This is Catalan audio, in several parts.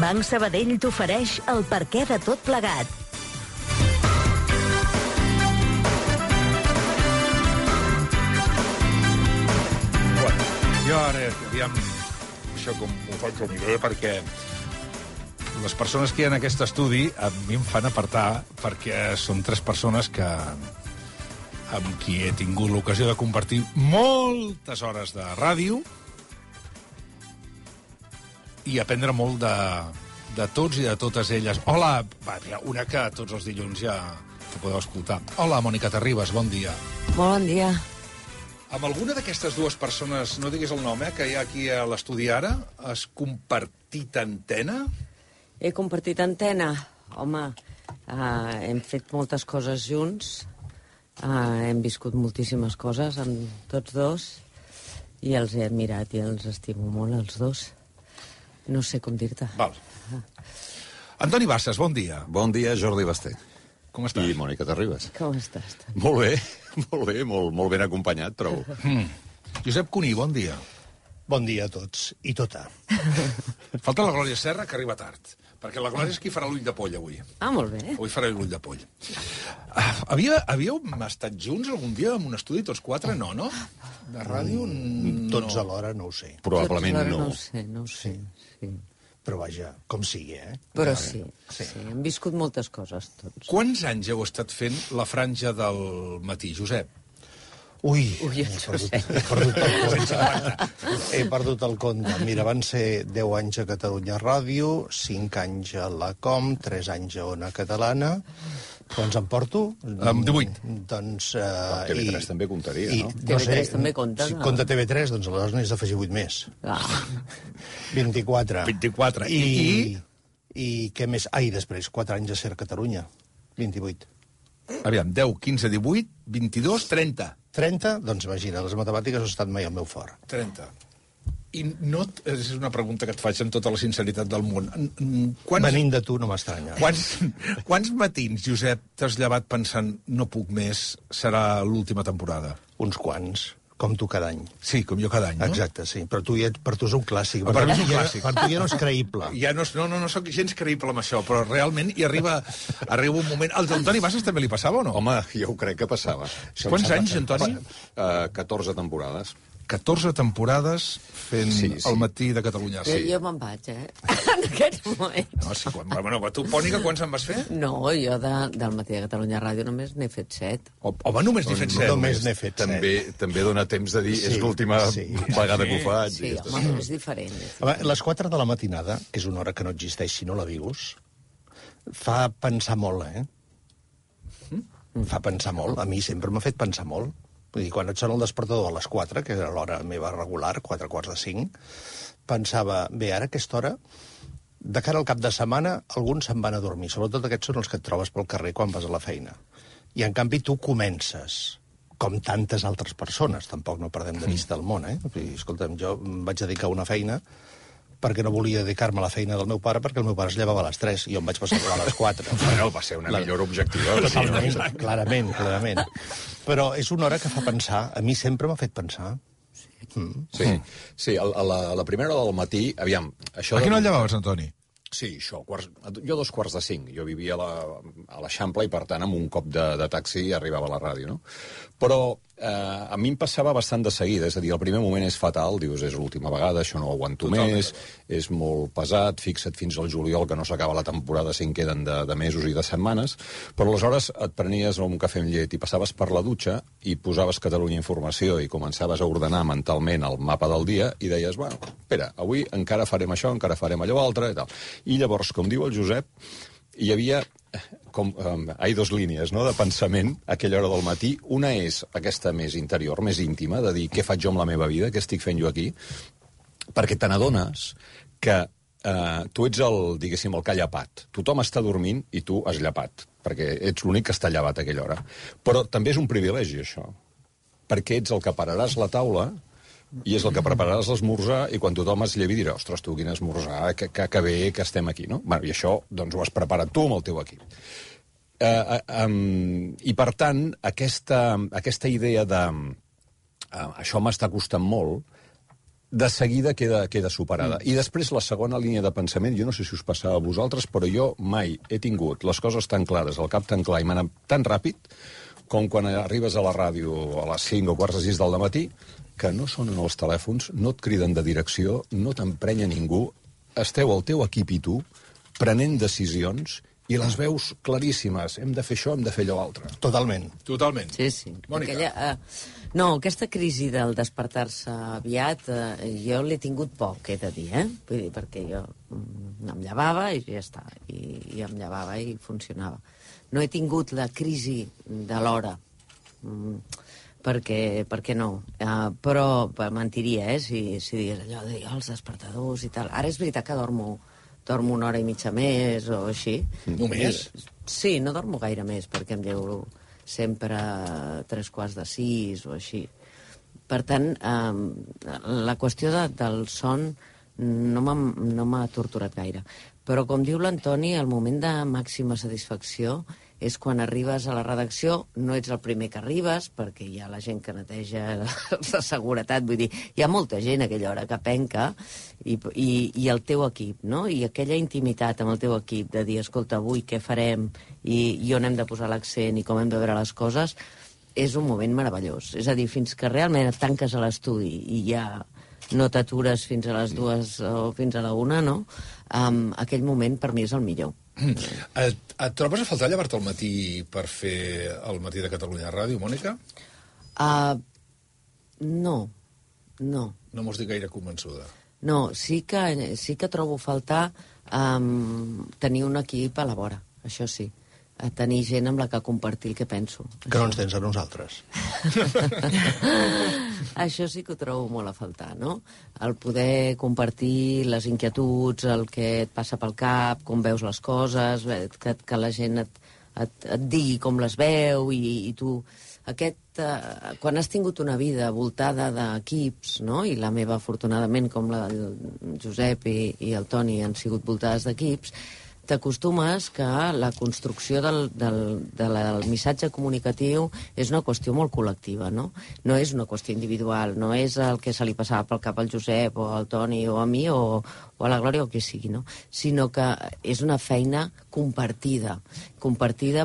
Banc Sabadell t'ofereix el perquè de tot plegat. Bueno, jo ara, aviam, això com ho faig a mi bé, perquè les persones que hi ha en aquest estudi a mi em fan apartar, perquè són tres persones que amb qui he tingut l'ocasió de compartir moltes hores de ràdio i aprendre molt de tots i de totes elles. Hola, una que tots els dilluns ja te podeu escoltar. Hola, Mònica Terribas, bon dia. Molt bon dia. Amb alguna d'aquestes dues persones, no diguis el nom, que hi ha aquí a l'estudi ara, has compartit antena? He compartit antena. Home, hem fet moltes coses junts, hem viscut moltíssimes coses amb tots dos i els he admirat i els estimo molt, els dos. No sé com dir-te. Val. Antoni Bassas, bon dia. Bon dia, Jordi Basté. Com estàs? I Mònica Terribas. Com estàs? Molt bé, molt ben acompanyat, trobo. Josep Cuní, bon dia. Bon dia a tots, i tota. Falta la Glòria Serra, que arriba tard. Perquè la Glòria és qui farà l'ull de poll, avui. Ah, molt bé. Avui farà l'ull de poll. Havíeu estat junts algun dia en un estudi, tots quatre? No? De ràdio? Tots alhora no ho sé. Probablement Tots no. No ho sé. Sí. Però vaja, com sigui, Però sí, hem viscut moltes coses, tots. Quants anys heu estat fent la franja del matí, Josep? Ui, Ui, he perdut el compte. He perdut el compte. Mira, van ser 10 anys a Catalunya Ràdio, 5 anys a la Com, 3 anys a Ona Catalana. Quants em porto? 18. Doncs... TV3 també comptaria, no? TV3 també compta, Si no? compta TV3, doncs aleshores n'has d'afegir 8 més. 24. 24. I què més? I després, 4 anys a Ser Catalunya. 28. Aviam, 10, 15, 18, 22, 30. 30? Doncs imagina, les matemàtiques no han estat mai al meu fort. 30. I no... És una pregunta que et faig amb tota la sinceritat del món. Venint de tu no m'estranya. Quants matins, Josep, t'has llevat pensant no puc més, serà l'última temporada? Uns quants, com tu cada any. Sí, com jo cada any, no? Exacte, sí. Però per tu és un clàssic. Per mi és un clàssic. Per tu ja no és creïble. Ja no soc gens creïble amb això, però realment hi arriba un moment... Al Antoni Bassas també li passava o no? Home, jo ho crec que passava. Quants anys, Antoni? 14 temporades. 14 temporades fent el matí de Catalunya. Jo me'n vaig, en aquest moment. No, sí, bueno, tu, Pònica, quants en vas fer? No, jo del matí de Catalunya Ràdio només n'he fet 7. Home, només n'he fet 7. Només n'he fet 7. També dona temps de dir, és l'última vegada que ho faig. Sí, home, és diferent. Les 4 de la matinada, que és una hora que no existeix si no la vius, fa pensar molt, Fa pensar molt. A mi sempre m'ha fet pensar molt. Vull dir, quan et sona el despertador a les 4, que era l'hora meva regular, 4 quarts de 5, pensava, bé, ara a aquesta hora, de cara al cap de setmana, alguns se'n van a dormir. Sobretot aquests són els que et trobes pel carrer quan vas a la feina. I, en canvi, tu comences, com tantes altres persones, tampoc no perdem de vista el món, Vull dir, escolta'm, jo em vaig dedicar a una feina perquè no volia dedicar-me a la feina del meu pare, perquè el meu pare es llevava a les 3 i jo em vaig passar a les 4. Bueno, va ser una millora objectiva. Totalment, clarament. Però és una hora que fa pensar. A mi sempre m'ha fet pensar. Sí, a la primera hora del matí, aviam... A quina hora llevaves, Antoni? Sí, això, jo 2:45. Jo vivia a l'Eixample i, per tant, amb un cop de taxi arribava a la ràdio, no? Però a mi em passava bastant de seguida, és a dir, el primer moment és fatal, dius, és l'última vegada, això no ho aguanto més, és molt pesat, fixa't fins al juliol que no s'acaba la temporada si en queden de mesos i de setmanes, però aleshores et prenies un cafè amb llet i passaves per la dutxa i posaves Catalunya Informació i començaves a ordenar mentalment el mapa del dia i deies, bueno, espera, avui encara farem això, encara farem allò altre i tal. I llavors, com diu el Josep, hi havia dos línies, no?, de pensament a aquella hora del matí. Una és aquesta més interior, més íntima, de dir què faig jo amb la meva vida, què estic fent jo aquí, perquè te n'adones que tu ets diguéssim, el que ha llepat. Tothom està dormint i tu has llepat, perquè ets l'únic que està llevat a aquella hora. Però també és un privilegi, això, perquè ets el que pararàs la taula i és el que prepararàs l'esmorzar i quan tothom es llevi dirà, ostres, tu, quin esmorzar, que bé que estem aquí, no? Bueno, i això, doncs, ho has preparat tu amb el teu equip. I, per tant, aquesta idea de això m'està costant molt, de seguida queda superada. I després la segona línia de pensament, jo no sé si us passava a vosaltres, però jo mai he tingut les coses tan clares, el cap tan clar i m'ha anat tan ràpid com quan arribes a la ràdio a les 5 o quarts de 6 del matí, que no sonen els telèfons, no et criden de direcció, no t'emprenya ningú, esteu el teu equip i tu prenent decisions i les veus claríssimes. Hem de fer això, hem de fer allò altre. Totalment. Totalment. Sí. Mònica. Aquesta crisi del despertar-se aviat, jo l'he tingut poc, he de dir, Vull dir, perquè jo em llevava i ja està, i em llevava i funcionava. No he tingut la crisi de l'hora, perquè no. Però mentiria, si digués allò de dir els despertadors i tal. Ara és veritat que dormo 1 hora i mitja més o així. Només? Sí, no dormo gaire més, perquè em llevo sempre a 3:45 o així. Per tant, la qüestió del son no m'ha torturat gaire. Però, com diu l'Antoni, el moment de màxima satisfacció és quan arribes a la redacció, no ets el primer que arribes, perquè hi ha la gent que neteja la seguretat, vull dir, hi ha molta gent a aquella hora que penca, i el teu equip, no? I aquella intimitat amb el teu equip de dir, escolta, avui què farem, i on hem de posar l'accent, i com hem de veure les coses, és un moment meravellós. És a dir, fins que realment et tanques a l'estudi i ja no t'atures fins a les 2 o fins a la 1, no? Aquell moment per mi és el millor. Et trobes a faltar llevar-te al matí per fer el Matí de Catalunya Ràdio, Mònica? No. No mos dic gaire convençuda. No, sí que trobo a faltar tenir un equip a la vora, això sí. A tenir gent amb la que compartir el que penso. Que no ens tens a nosaltres. Això sí que ho trobo molt a faltar, no? El poder compartir les inquietuds, el que et passa pel cap, com veus les coses, que la gent et digui com les veu, i tu... quan has tingut una vida voltada d'equips, no? I la meva, afortunadament, com la del Josep i el Toni, han sigut voltades d'equips, t'acostumes que la construcció del missatge comunicatiu és una qüestió molt col·lectiva, no? No és una qüestió individual, no és el que se li passava pel cap al Josep o al Toni o a mi o a la Glòria o qui sigui, no? Sinó que és una feina compartida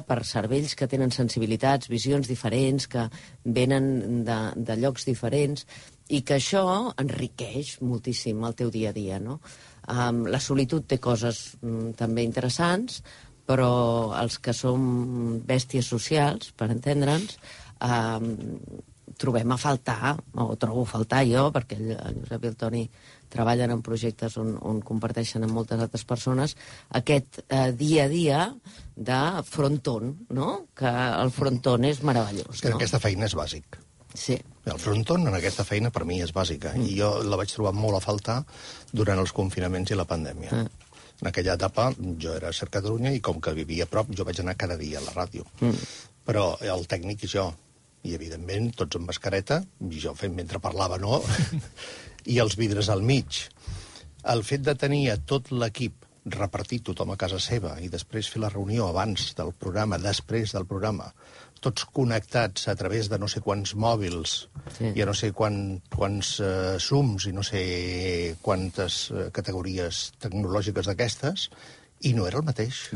per cervells que tenen sensibilitats, visions diferents, que venen de llocs diferents, i que això enriqueix moltíssim el teu dia a dia, no? La solitud té coses també interessants, però els que som bèsties socials, per entendre'ns, trobem a faltar, o trobo a faltar jo, perquè el Josep i el Toni treballen en projectes on comparteixen amb moltes altres persones, aquest dia a dia de frontón, no? Que el frontón és meravellós. Que aquesta feina és bàsic. Sí. El frontón en aquesta feina per mi és bàsica, i jo la vaig trobar molt a faltar durant els confinaments i la pandèmia. En aquella etapa jo era a Ser Catalunya i com que vivia a prop jo vaig anar cada dia a la ràdio. Però el tècnic i jo, i evidentment tots amb mascareta, i jo fent mentre parlava no, i els vidres al mig. El fet de tenir a tot l'equip repartit tothom a casa seva i després fer la reunió abans del programa, després del programa, tots connectats a través de no sé quants mòbils, i a no sé quants Zooms i no sé quantes categories tecnològiques d'aquestes, i no era el mateix.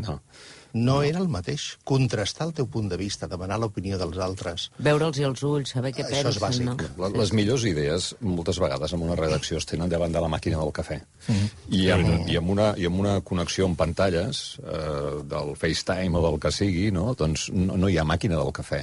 No era el mateix. Contrastar el teu punt de vista, demanar l'opinió dels altres. Veure'ls als ulls, saber què pensen. Això és bàsic. No? Les millors idees, moltes vegades, en una redacció es tenen davant de la màquina del cafè. I amb una connexió amb pantalles, del FaceTime o del que sigui, no? Doncs no hi ha màquina del cafè.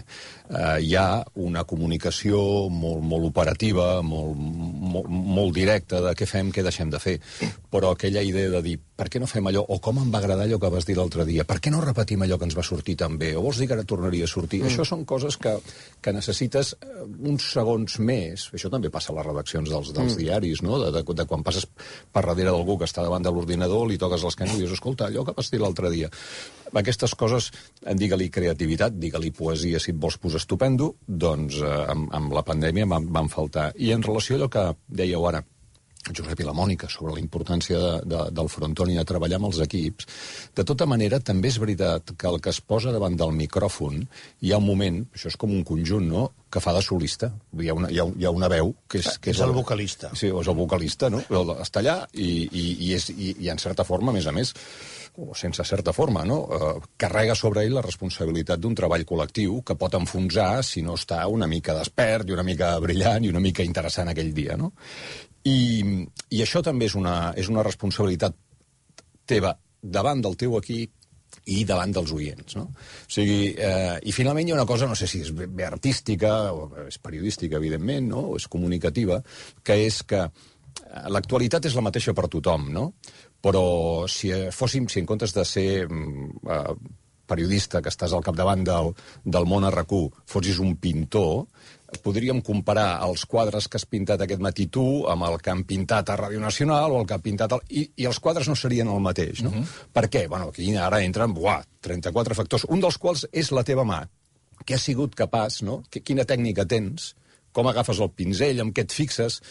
Hi ha una comunicació molt operativa, molt directa de què fem, què deixem de fer. Però aquella idea de dir, per què no fem allò? O com em va agradar allò que vas dir l'altre dia? Per què no repetim allò que ens va sortir tan bé? O vols dir que ara tornaria a sortir? Això són coses que necessites uns segons més. Això també passa a les redaccions dels diaris, no? De quan passes per darrere d'algú que està davant de l'ordinador, li toques l'esquena i dius, escolta, allò que vas dir l'altre dia. Aquestes coses, digue-li creativitat, digue-li poesia, si et vols posar estupendo, doncs amb la pandèmia van faltar. I en relació a allò que dèieu ara, Josep i la Mònica, sobre la importància del frontón i de treballar amb els equips. De tota manera, també és veritat que el que es posa davant del micròfon, hi ha un moment, això és com un conjunt, no?, que fa de solista. Hi ha una veu que és el vocalista. Sí, és el vocalista, no? Està allà i en certa forma, a més, o sense certa forma, no? Carrega sobre ell la responsabilitat d'un treball col·lectiu que pot enfonsar si no està una mica despert i una mica brillant i una mica interessant aquell dia, no? I això també és una responsabilitat teva davant del teu equip i davant dels oients, no? O sigui, i finalment hi ha una cosa, no sé si és bé artística, o és periodística, evidentment, no?, o és comunicativa, que és que l'actualitat és la mateixa per tothom, no? Però si en comptes de ser periodista, que estàs al capdavant del món a RAC1, fossis un pintor, podríem comparar els quadres que has pintat aquest matí tu amb el que han pintat a Ràdio Nacional o el que ha pintat... I els quadres no serien el mateix, no? Per què? Bueno, aquí ara entren 34 factors, un dels quals és la teva mà. Què has sigut capaç, no? Quina tècnica tens? Com agafes el pinzell? Amb què et fixes?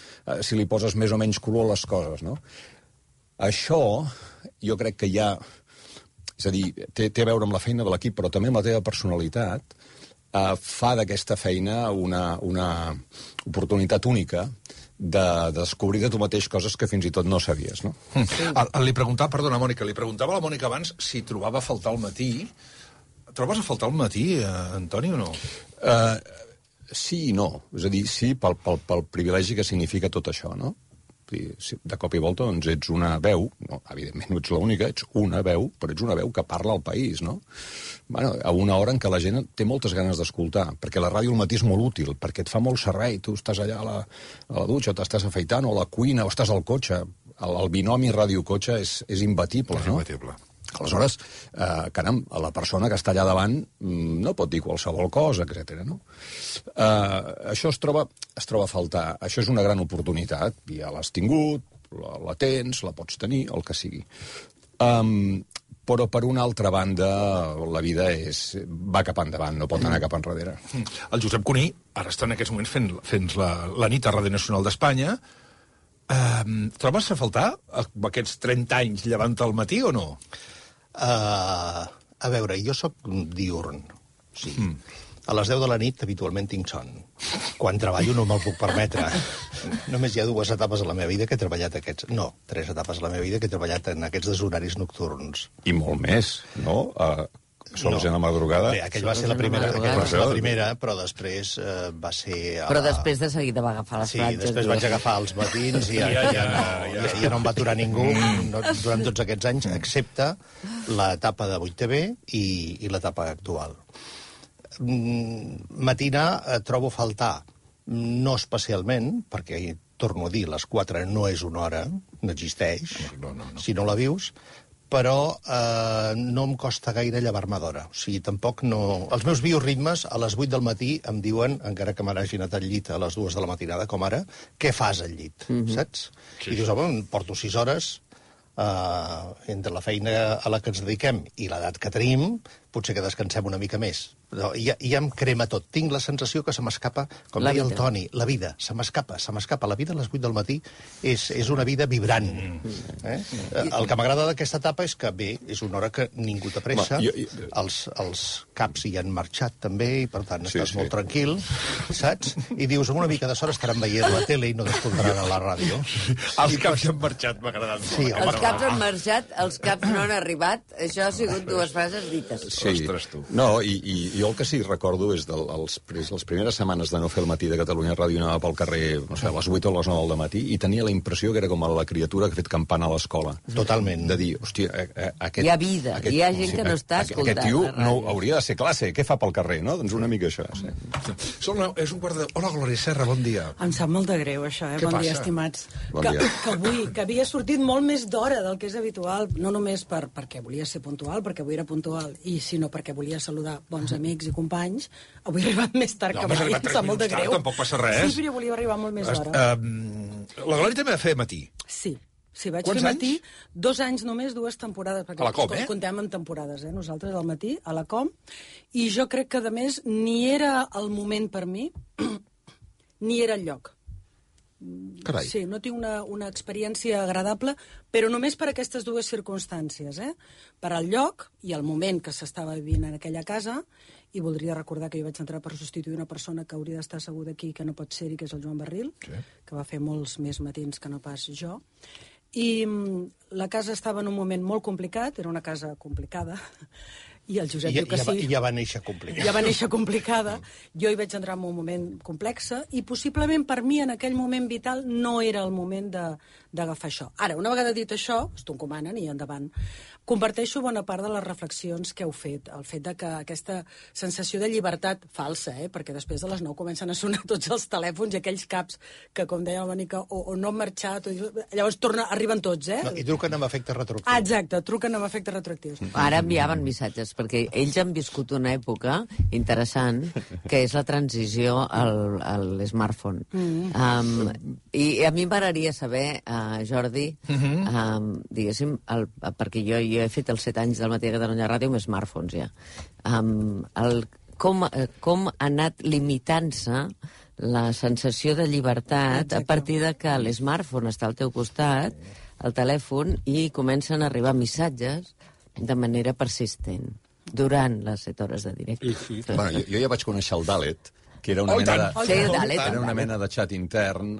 Si li poses més o menys color a les coses, no? Això, jo crec que ja... És a dir, té a veure amb la feina de l'equip, però també amb la teva personalitat, fa d'aquesta feina una oportunitat única de descobrir de tu mateix coses que fins i tot no sabies, no? Sí. Li preguntava, perdona, Mònica, li preguntava a la Mònica abans si trobava a faltar al matí. Trobes a faltar al matí, Antoni, o no? Sí i no. És a dir, sí pel privilegi que significa tot això, no? De cop i volta, doncs, ets una veu, no, evidentment no ets l'única, ets una veu, però ets una veu que parla al país, no? Bueno, a una hora en què la gent té moltes ganes d'escoltar, perquè la ràdio al matí és molt útil, perquè et fa molt servei, tu estàs allà a la dutxa, o t'estàs afaitant, o a la cuina, o estàs al cotxe. El binomi ràdio-cotxe és imbatible, no? És imbatible. Aleshores, caram, la persona que està allà davant no pot dir qualsevol cosa, etc. No? Això es troba a faltar. Això és una gran oportunitat. Ja l'has tingut, la tens, la pots tenir, el que sigui. Però, per una altra banda, la vida va cap endavant, no pot anar cap enrere. El Josep Cuní ara està en aquests moments fent la nit a Ràdio Nacional d'Espanya. Trobes a faltar aquests 30 anys llevant al matí o no? A veure, jo sóc diurn, sí. A les 10 de la nit habitualment tinc son. Quan treballo no me'l puc permetre. Només hi ha 2 etapes a la meva vida que he treballat aquests... No, 3 etapes a la meva vida que he treballat en aquests deshoraris nocturns. I molt més, no? Sols en la madrugada. Bé, aquella va ser la primera, però després va ser... Però després de seguida va agafar les platges. Sí, després vaig agafar els matins i ja no em va aturar ningú durant tots aquests anys, excepte l'etapa de 8TV i l'etapa actual. Matinar trobo a faltar, no especialment, perquè, torno a dir, les 4 no és una hora, no existeix, si no la vius, però no em costa gaire llevar-me d'hora. O sigui, tampoc no... Els meus bioritmes a les 8 del matí em diuen, encara que me n'hagi anat al llit a les 2 de la matinada, com ara, què fas al llit, saps? I dius, home, porto 6 hores entre la feina a la que ens dediquem i l'edat que tenim, potser que descansem una mica més. Però ja em crema tot. Tinc la sensació que se m'escapa, com deia el Toni, la vida. Se m'escapa. La vida a les 8 del matí és una vida vibrant. El que m'agrada d'aquesta etapa és que, bé, és una hora que ningú té pressa, els caps hi han marxat també, i per tant estàs molt tranquil, saps? I dius, amb una mica de sort estaran veient la tele i no t'escoltaran a la ràdio. Els caps han marxat, m'ha agradat molt. Sí, els caps han marxat, els caps no han arribat. Això ha sigut 2 frases dites. Sí. No, i jo el que sí recordo és les primeres setmanes de no fer el matí de Catalunya Ràdio, anava pel carrer, no sé, a les 8 o a les 9 del matí, i tenia la impressió que era com la criatura que ha fet campana a l'escola. Totalment. De dir, hòstia, hi ha vida, hi ha gent que no està escoltant. Aquest tio no hauria de ser classe, què fa pel carrer, no? Doncs una mica això, sí. És un quart de... Hola, Glòria Serra, bon dia. Em sap molt de greu, això, Què bon dia, passa? estimats. Bon dia. Que havia sortit molt més d'hora del que és habitual, no només perquè volia ser puntual, perquè avui era puntual, sinó perquè volia saludar bons amics i companys. Avui he arribat més tard que mai, em sap molt de greu. Tampoc passa res. Sí, però volia arribar molt més d'hora. La Glòria també va fer matí. Sí, vaig fer matí, 2 anys només, 2 temporades. A la Com, Contem amb temporades, nosaltres al matí, a la Com, i jo crec que, a més, ni era el moment per mi, ni era el lloc. Carai. Sí, no tinc una experiència agradable, però només per aquestes dues circumstàncies, per al lloc i el moment que s'estava vivint en aquella casa, i voldria recordar que jo vaig entrar per substituir una persona que hauria d'estar asseguda aquí, que no pot ser-hi, que és el Joan Barril, que va fer molts més matins que no pas jo. I la casa estava en un moment molt complicat, era una casa complicada, i el Josep diu que sí. I ja va néixer complicada. Ja va néixer complicada. Jo hi vaig entrar en un moment complex i possiblement per mi en aquell moment vital no era el moment d'agafar això. Ara, una vegada dit això, t'ho encomanen i endavant. Comparteixo bona part de les reflexions que heu fet. El fet de que aquesta sensació de llibertat falsa, perquè després de les 9 comencen a sonar tots els telèfons i aquells caps que, com deia la Mònica, o no han marxat, llavors arriben tots, No, i truquen amb efectes retroactius. Exacte, truquen amb efectes retroactius. Ara enviaven missatges, perquè ells han viscut una època interessant, que és la transició a l'smartphone. I a mi m'agradaria saber, Jordi, diguéssim, perquè jo he fet els 7 anys del Matí de Catalunya Ràdio amb smartphones ja. Com ha anat limitant-se la sensació de llibertat a partir de que l'smartphone està al teu costat, el telèfon, i comencen a arribar missatges de manera persistent durant les 7 hores de directe. Bueno, jo ja vaig conèixer el Dalet, que era una mena de xat intern,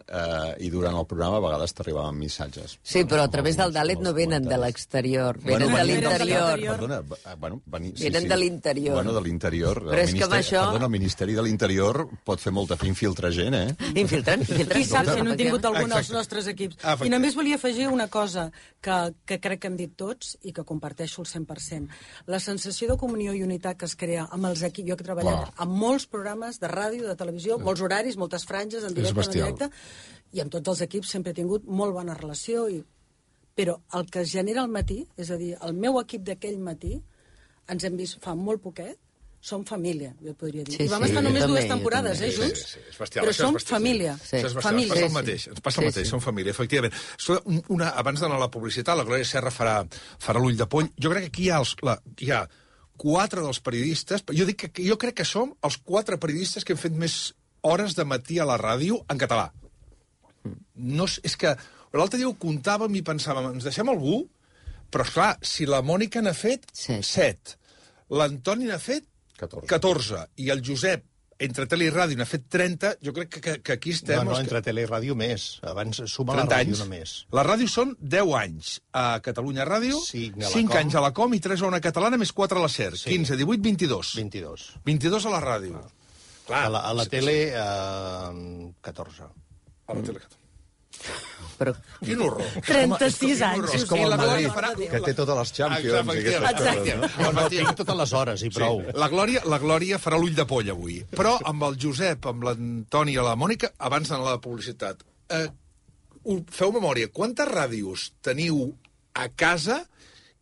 i durant el programa a vegades t'arribaven missatges. Sí, però a través del Dalet no venen de l'exterior, venen de l'interior. Perdona, venen de l'interior. Bueno, de l'interior. Però és que amb això... Perdona, el Ministeri de l'Interior pot fer molta infiltrar gent, Infiltren. Qui sap si no hem tingut algun dels nostres equips. I només volia afegir una cosa que crec que hem dit tots i que comparteixo al 100%. La sensació de comunió i unitat que es crea amb els equips... Jo que he treballat amb molts programes de ràdio, de televisió, molts horaris, moltes franges, en directe, en directe, i amb tots els equips sempre he tingut molt bona relació, però el que es genera al matí, és a dir, el meu equip d'aquell matí, ens hem vist fa molt poquet, som família, jo et podria dir. I vam estar només 2 temporades, junts, però som família. Ens passa el mateix, som família, efectivament. Abans d'anar a la publicitat, la Glòria Serra farà l'ull de poll. Jo crec que aquí hi ha 4 dels periodistes, jo crec que som els 4 periodistes que hem fet més hores de matí a la ràdio en català. No, és que l'altre dia ho comptàvem i pensàvem, ens deixem algú? Però, esclar, si la Mònica n'ha fet 7, l'Antoni n'ha fet 14, i el Josep, entre tele i ràdio, n'ha fet 30, jo crec que aquí estem... No, entre tele i ràdio més. Abans suma la ràdio només. La ràdio són 10 anys a Catalunya Ràdio, 5 anys a la Com i 3 a una catalana, més 4 a la SER. 15, 18, 22. 22 a la ràdio. Clar, a la tele, 14. A la tele, 14. Però... Quin horror. 36 anys. És com el Madrid, que té totes les Champions i aquestes coses, no? No, tinc totes les hores i prou. La Glòria farà l'ull de poll avui. Però amb el Josep, amb l'Antoni i la Mònica, abans d'anar a la publicitat, feu memòria, quantes ràdios teniu a casa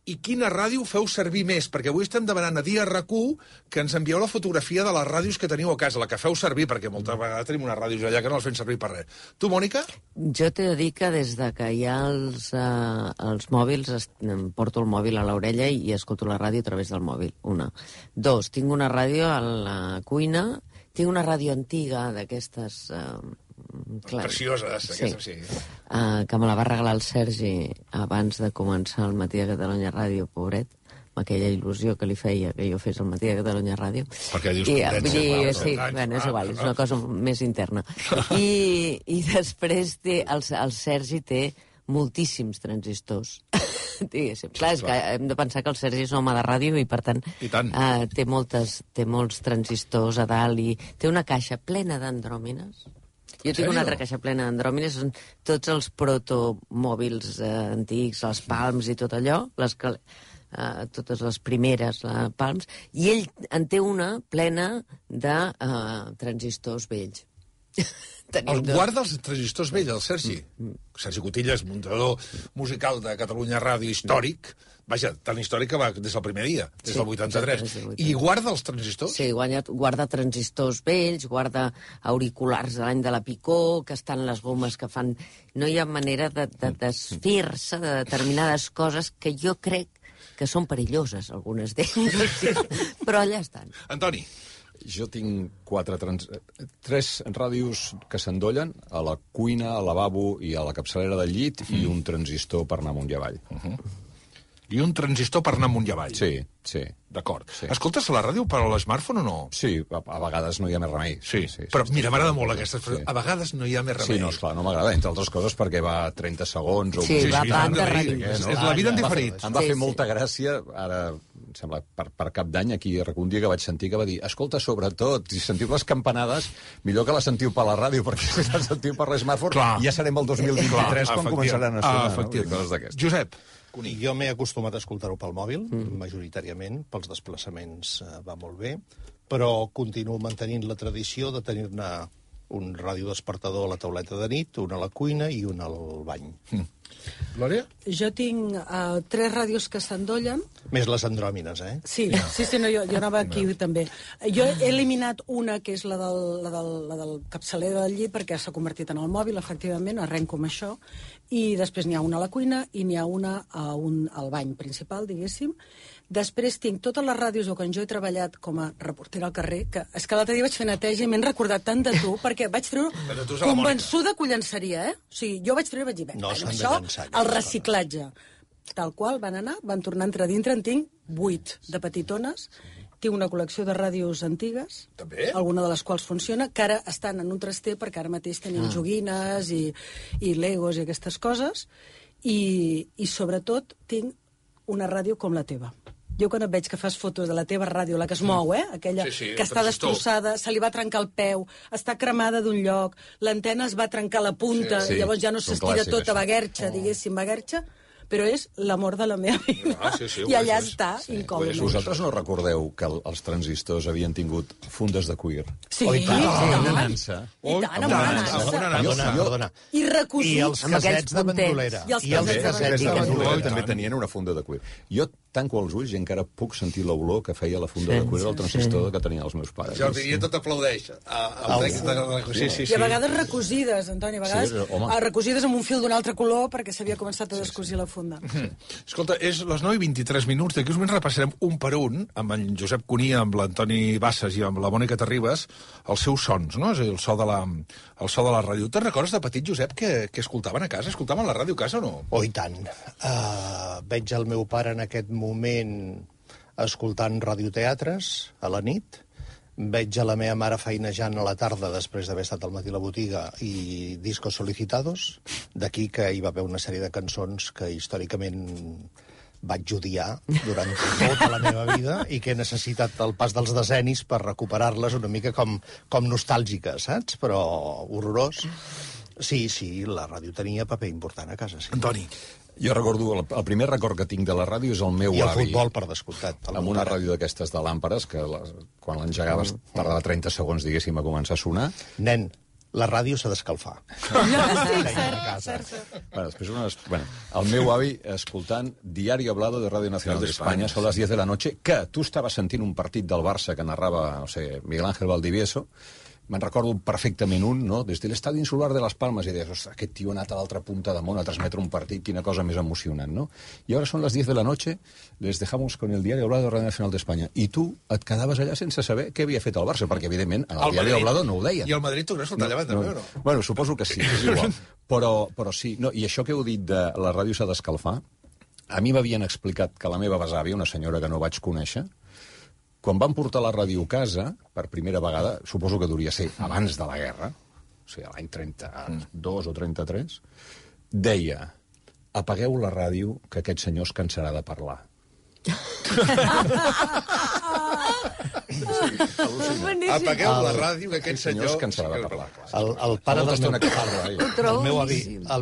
i quina ràdio feu servir més? Perquè avui estem demanant a Dia RAC1 que ens envieu la fotografia de les ràdios que teniu a casa, la que feu servir, perquè moltes vegades tenim unes ràdios allà que no les fem servir per res. Tu, Mònica? Jo t'he de dir que des de que hi ha els mòbils, em porto el mòbil a l'orella i escolto la ràdio a través del mòbil, 1. 2, tinc una ràdio a la cuina, tinc una ràdio antiga d'aquestes... precioses, aquestes, sí. Que me la va regalar el Sergi abans de començar el Matí de Catalunya Ràdio, pobret, amb aquella il·lusió que li feia que jo fes el Matí de Catalunya Ràdio. Perquè dius que sí, bueno, és igual, és una cosa més interna. I després el Sergi té moltíssims transistors. Clar, és que hem de pensar que el Sergi és un home de ràdio i, per tant, té molts transistors a dalt i té una caixa plena d'andròmines. Jo tinc una altra caixa plena d'andròmines, són tots els protomòbils antics, les Palms i tot allò, totes les primeres Palms, i ell en té una plena de transistors vells. Guarda els transistors vells, el Sergi. Sergi Cotillas, muntador musical de Catalunya Ràdio històric, vaja, tan històric que va des del primer dia, des del 83. I guarda els transistors? Sí, guarda transistors vells, guarda auriculars de l'any de la Picó, que estan les gomes que fan... No hi ha manera de desfer-se de determinades coses que jo crec que són perilloses, algunes d'elles, però allà estan. Antoni. Jo tinc 3 ràdios que s'endollen, a la cuina, al lavabo i a la capçalera del llit, i un transistor per anar amunt i avall. I un transistor per anar amunt i avall. Sí, sí. D'acord. Sí. Escoltes la ràdio per a l'smartphone o no? Sí, a vegades no hi ha més remei. Sí, però mira, m'agrada molt aquesta expressió. A vegades no hi ha més remei. Sí, no, esclar, no m'agrada, entre altres coses, perquè va 30 segons o... Sí, va tant de ràdio. És la vida en diferit. Em va fer molta gràcia, ara, em sembla, per cap d'any, aquí un dia que vaig sentir que va dir, escolta, sobretot, si sentiu les campanades, millor que les sentiu per la ràdio, perquè si les sentiu per l'smartphone, ja serem el 2023 quan començaran a sonar, no? Josep, jo m'he acostumat a escoltar-ho pel mòbil, majoritàriament, pels desplaçaments va molt bé, però continuo mantenint la tradició de tenir-ne un radiodespertador a la tauleta de nit, un a la cuina i un al bany. Glòria? Jo tinc 3 ràdios que s'endollen. Més les andròmines, Sí, no, jo anava aquí també. Jo he eliminat una, que és la del capçaler del llit, perquè s'ha convertit en el mòbil, efectivament, arrenco amb això, i després n'hi ha una a la cuina i n'hi ha una al bany principal, diguéssim. Després tinc totes les ràdios quan jo he treballat com a reportera al carrer, que és que l'altre dia vaig fer neteja i m'he recordat tant de tu, perquè vaig treure convençuda que ho llançaria, O sigui, jo vaig treure i vaig dir, no s'han de això, llançar, el reciclatge. Tal qual, van anar, van tornar a entrar dintre, en tinc 8 de petitones, tinc una col·lecció de ràdios antigues, també? Alguna de les quals funciona, que ara estan en un traster, perquè ara mateix tenim joguines i legos i aquestes coses, i sobretot tinc una ràdio com la teva. Jo quan et veig que fas fotos de la teva ràdio, la que es mou, aquella que està destrossada, se li va trencar el peu, està cremada d'un lloc, l'antena es va trencar la punta, llavors ja no s'estira tota baguerxa, diguéssim, baguerxa, però és l'amor de la meva vida. I allà està, incòmode. Vosaltres no recordeu que els transistors havien tingut fundes de cuir? Sí, i tant. amb una nansa. I recosits. I els casets de bandolera. I els casets de bandolera. També tenien una funda de cuir. Jo tanco els ulls i encara puc sentir l'olor que feia la funda de cuir del transistor que tenien els meus pares. Jordi, i tot aplaudeix. I a vegades recosides, Antoni, a vegades recosides amb un fil d'un altre color perquè s'havia començat a descosir la funda. Escolta, és les 9:23, d'aquí uns moments repassarem un per un amb en Josep Cunia, amb l'Antoni Bassas i amb la Mònica Terribas els seus sons, no? És a dir, el so de la ràdio. Te'n recordes de petit, Josep, que escoltaven a casa? Escoltaven la ràdio a casa o no? Oh, i tant. Veig el meu pare en aquest moment escoltant radioteatres a la nit. Veig a la meva mare feinejant a la tarda després d'haver estat al matí a la botiga i discos solicitados. D'aquí que hi va haver una sèrie de cançons que històricament vaig odiar durant tota la meva vida i que he necessitat el pas dels decennis per recuperar-les una mica com nostàlgiques, saps? Però horrorós. Sí, la ràdio tenia paper important a casa, sí. Antoni. Jo recordo, el primer record que tinc de la ràdio és el meu avi. I el futbol, per descomptat. Amb una ràdio d'aquestes de làmperes, que quan l'engegaves tardava 30 segons, diguéssim, a començar a sonar. Nen, la ràdio s'ha d'escalfar. Cert. El meu avi escoltant Diario Hablado de Radio Nacional de España, són les 10 de la noche, que tu estaves sentint un partit del Barça que narrava, no sé, Miguel Ángel Valdivieso. Me'n recordo perfectament no? Des de l'estadi insular de les Palmes, i deies, ostres, aquest tio ha anat a l'altra punta de món a transmetre un partit, quina cosa més emocionant, no? I ara són les 10 de la noche, les dejamos con el Diario Hablado de Radio Nacional de España. I tu et quedaves allà sense saber què havia fet el Barça, perquè, evidentment, en el Diario Hablado no ho deien. I el Madrid tu creus que el tallaven també o no? Bueno, suposo que sí, és igual. Però sí, no, i això que heu dit de la ràdio s'ha d'escalfar, a mi m'havien explicat que la meva besàvia, una senyora que no vaig conèixer, quan van portar la ràdio a casa, per primera vegada, suposo que devia ser abans de la guerra, o sigui, l'any 32 o 33, deia, apagueu la ràdio, que aquest senyor es cansarà de parlar. Apagueu la ràdio, que aquest senyor es cansarà de parlar. El pare del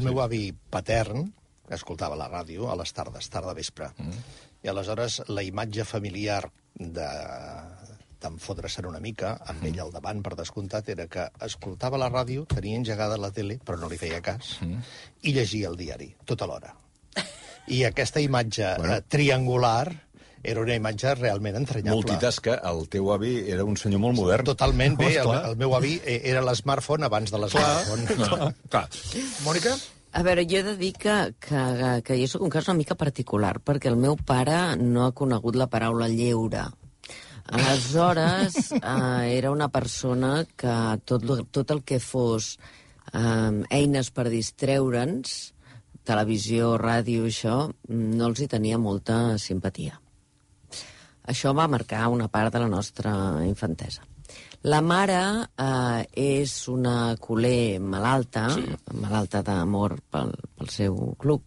meu avi patern escoltava la ràdio a les tardes, tarda vespre. I aleshores la imatge familiar d'enfodre-se'n una mica, amb ell al davant, per descomptat, era que escoltava la ràdio, tenia engegada la tele, però no li feia cas, i llegia el diari, tota l'hora. I aquesta imatge triangular era una imatge realment entranyable. Multitasca, el teu avi era un senyor molt modern. Totalment bé, el meu avi era l'smartphone abans de l'smartphone. Clar. Mònica? A veure, jo he de dir que jo soc un cas una mica particular, perquè el meu pare no ha conegut la paraula lleure. Aleshores, era una persona que tot el que fos eines per distreure'ns, televisió, ràdio, això, no els hi tenia molta simpatia. Això va marcar una part de la nostra infantesa. La mare és una culer malalta, malalta d'amor pel seu club,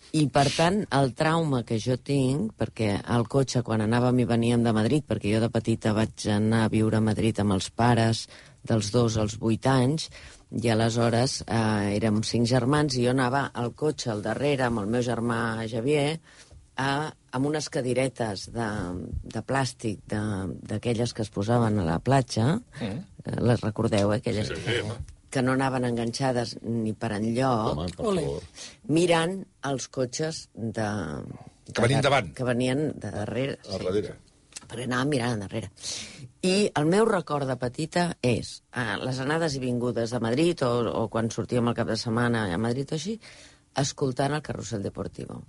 i, per tant, el trauma que jo tinc, perquè al cotxe, quan anàvem i veníem de Madrid, perquè jo de petita vaig anar a viure a Madrid amb els pares, dels 2 als 8 anys, i aleshores érem 5 germans, i jo anava al cotxe al darrere amb el meu germà Javier, amb unes cadiretes de plàstic, d'aquelles que es posaven a la platja, les recordeu, aquelles... Sí, que no anaven enganxades ni per enlloc, mirant els cotxes que venien davant. Que venien de darrere. A darrere. Perquè anàvem mirant endarrere. I el meu record de petita és les anades i vingudes a Madrid, o quan sortíem al cap de setmana a Madrid o així, escoltant el Carrusel Deportivo.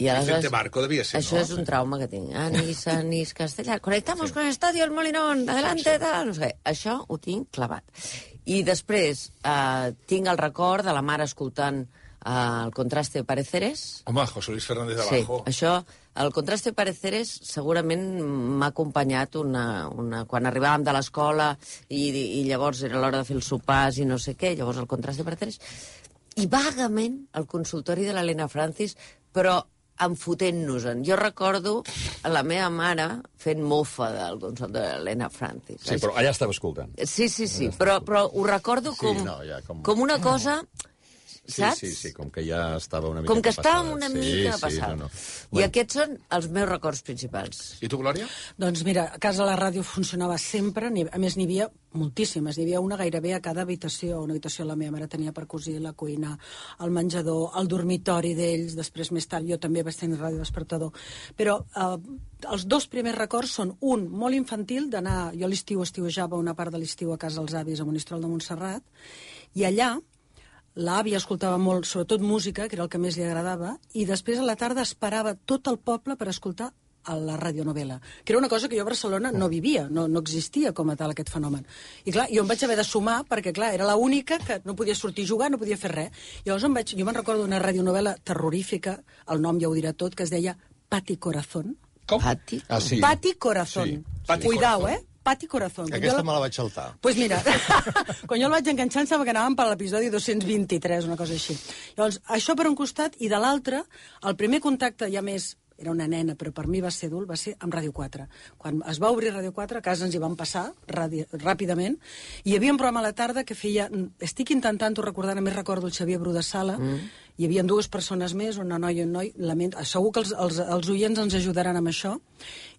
Y Vicente Marco devia ser, això és un trauma que tinc. Anís, Castellar, conectamos con el Estadio El Molinón, adelante, tal, no sé. Això ho tinc clavat. I després tinc el record de la mare escoltant el Contraste de Pareceres. Home, José Luis Fernández de Abajo. Sí, això, el Contraste de Pareceres segurament m'ha acompanyat quan arribàvem de l'escola i llavors era l'hora de fer els sopars i no sé què, llavors el Contraste de Pareceres. I vagament el consultori de l'Helena Francis, però enfotent-nos-en. Jo recordo la meva mare fent mofa del consultori de l'Helena Francis. Sí, però allà estava escoltant. Sí, però ho recordo com una cosa... Saps? Sí, com que ja estava una mica com que passada. estàvem una mica passada. I aquests són els meus records principals. I tu, Glòria? Doncs mira, a casa la ràdio funcionava sempre, a més n'hi havia moltíssimes, n'hi havia una gairebé a cada habitació. Una habitació la meva mare tenia per cosir, la cuina, el menjador, el dormitori d'ells, després més tard jo també vaig tenir ràdio despertador. Però els 2 primers records són un molt infantil, d'anar, jo a l'estiu estiuejava una part de l'estiu a casa dels avis a Monistrol de Montserrat, i allà l'àvia escoltava molt, sobretot música, que era el que més li agradava, i després a la tarda esperava tot el poble per escoltar a la radionovela, que era una cosa que jo a Barcelona no vivia, no existia com a tal aquest fenomen. I clar, jo em vaig haver de sumar, perquè clar, era l'única que no podia sortir a jugar, no podia fer res. Llavors jo me'n recordo d'una radionovela terrorífica, el nom ja ho dirà tot, que es deia Pati Corazón. Com? Pati? Ah, sí. Pati Corazón. Sí. Cuidao, Pati Corazón. Aquesta me la vaig saltar. Doncs pues mira, quan jo el vaig enganxar em sembla que anàvem per l'episodi 223, una cosa així. Llavors, això per un costat, i de l'altre, el primer contacte ja més, era una nena, però per mi va ser adult, va ser amb Ràdio 4. Quan es va obrir Ràdio 4, a casa ens hi vam passar ràpidament, i hi havia un programa a la tarda que feia... Estic intentant-ho recordar, només recordo el Xavier Bru de Sala, hi havia 2 persones més, una noia i un noi, segur que els oients ens ajudaran amb això,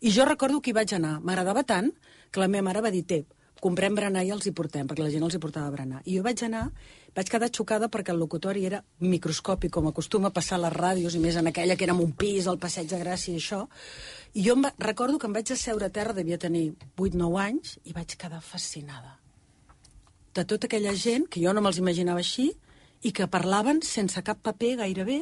i jo recordo que hi vaig anar. M'agradava tant que la meva mare va dir, comprem berenar i els hi portem, perquè la gent els hi portava berenar. I jo vaig anar, vaig quedar xocada perquè el locutori era microscòpic, com acostuma a passar a les ràdios, i més en aquella que era en un pis, al Passeig de Gràcia i això. I jo recordo que em vaig asseure a terra, devia tenir 8-9 anys, i vaig quedar fascinada. De tota aquella gent, que jo no me'ls imaginava així, i que parlaven sense cap paper gairebé,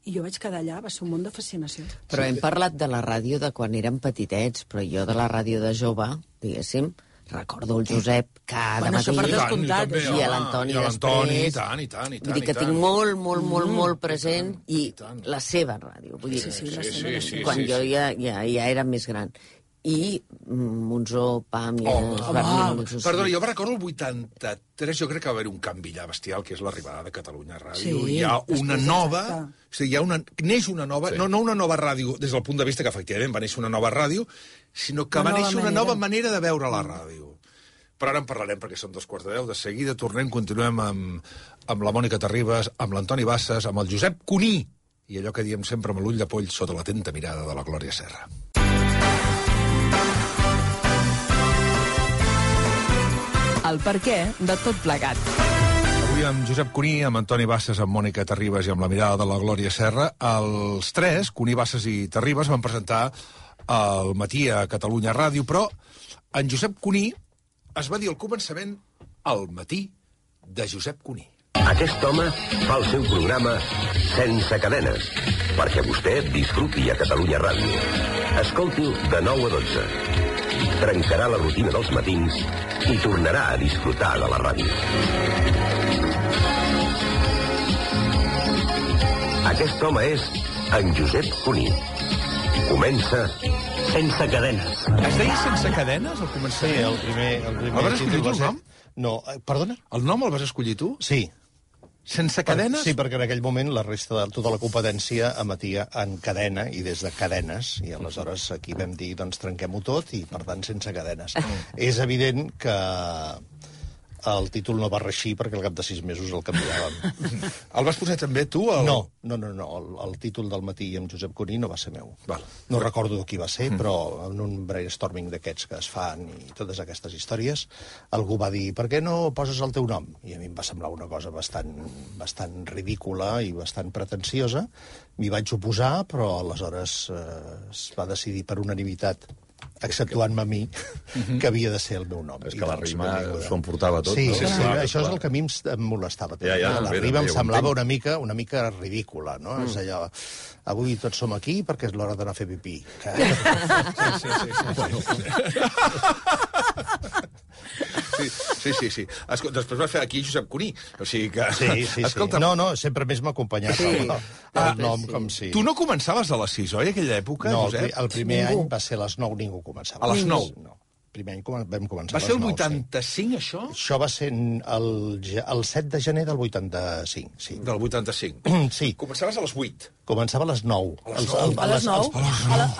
i jo vaig quedar allà, va ser un món de fascinació. Però hem parlat de la ràdio de quan érem petitets, però jo de la ràdio de jove, diguéssim, recordo el Josep cada matí. Això per descomptat. I l'Antoni després. I tant. Vull dir que tinc molt present, i la seva ràdio. Vull dir, Sí, quan jo ja era més gran. I Monzó, Pàmies... Perdona, jo recordo el 83, jo crec que va haver un canvi allà bestial, que és l'arribada de Catalunya Ràdio. Sí, hi ha una nova... O sigui, neix una nova... Sí. No una nova ràdio des del punt de vista que efectivament va néixer una nova ràdio, sinó que va néixer una nova manera de veure la ràdio. Però ara en parlarem perquè són 2:15. De seguida continuem amb la Mònica Terribas, amb l'Antoni Bassas, amb el Josep Cuní, i allò que diem sempre amb l'ull de poll sota l'atenta mirada de la Glòria Serra. El perquè de tot plegat. Avui amb Josep Cuní, amb Antoni Bassas, amb Mònica Terribas i amb la mirada de la Glòria Serra, els 3, Cuní, Bassas i Terribas, van presentar al matí a Catalunya Ràdio, però en Josep Cuní es va dir al començament El matí de Josep Cuní. Aquest home fa el seu programa sense cadenes. perquè vostè disfruti a Catalunya Ràdio. Escolti'l de 9 a 12. Trencarà la rutina dels matins i tornarà a disfrutar de la ràdio. Aquest home és en Josep Cuní. Comença Sense Cadenes. Es deia Sense Cadenes al començament? Sí, el primer El vas escollir tu, el nom? No, perdona? El nom el vas escollir tu? Sí. Sense Cadenes? Sí, perquè en aquell moment la resta de tota la competència emetia en cadena i des de cadenes, i aleshores aquí vam dir, doncs trenquem-ho tot i, per tant, sense cadenes. És evident que el títol no va reixir perquè al cap de 6 mesos el canviàvem. El vas posar també tu? No. El títol del matí amb Josep Cuní no va ser meu. Val. No recordo qui va ser, però en un brainstorming d'aquests que es fan i totes aquestes històries, algú va dir, per què no poses el teu nom? I a mi em va semblar una cosa bastant ridícula i bastant pretensiosa. M'hi vaig oposar, però aleshores es va decidir per unanimitat, exceptuant-me a mi, que havia de ser el meu nom. És que la rima s'ho emportava tot. Sí, no? sí, això és el que a mi em molestava. La rima em semblava una mica ridícula, no? És allò, avui tots som aquí perquè és l'hora d'anar a fer pipí. Sí. Escolta, després va fer aquí Josep Cuní. O sigui que... Sí. Escolta, no, sempre més m'ha acompanyat el nom com si... Tu no començaves a les 6, oi, aquella època, no, Josep? el primer any va ser a les 9, ningú començava. A les 9? No. Primer any vam començar va ser el 9, 85, sí. Això? Això va ser el 7 de gener del 85, sí. Del 85. Sí. Començaves a les 8. Començava a les 9. A les 9?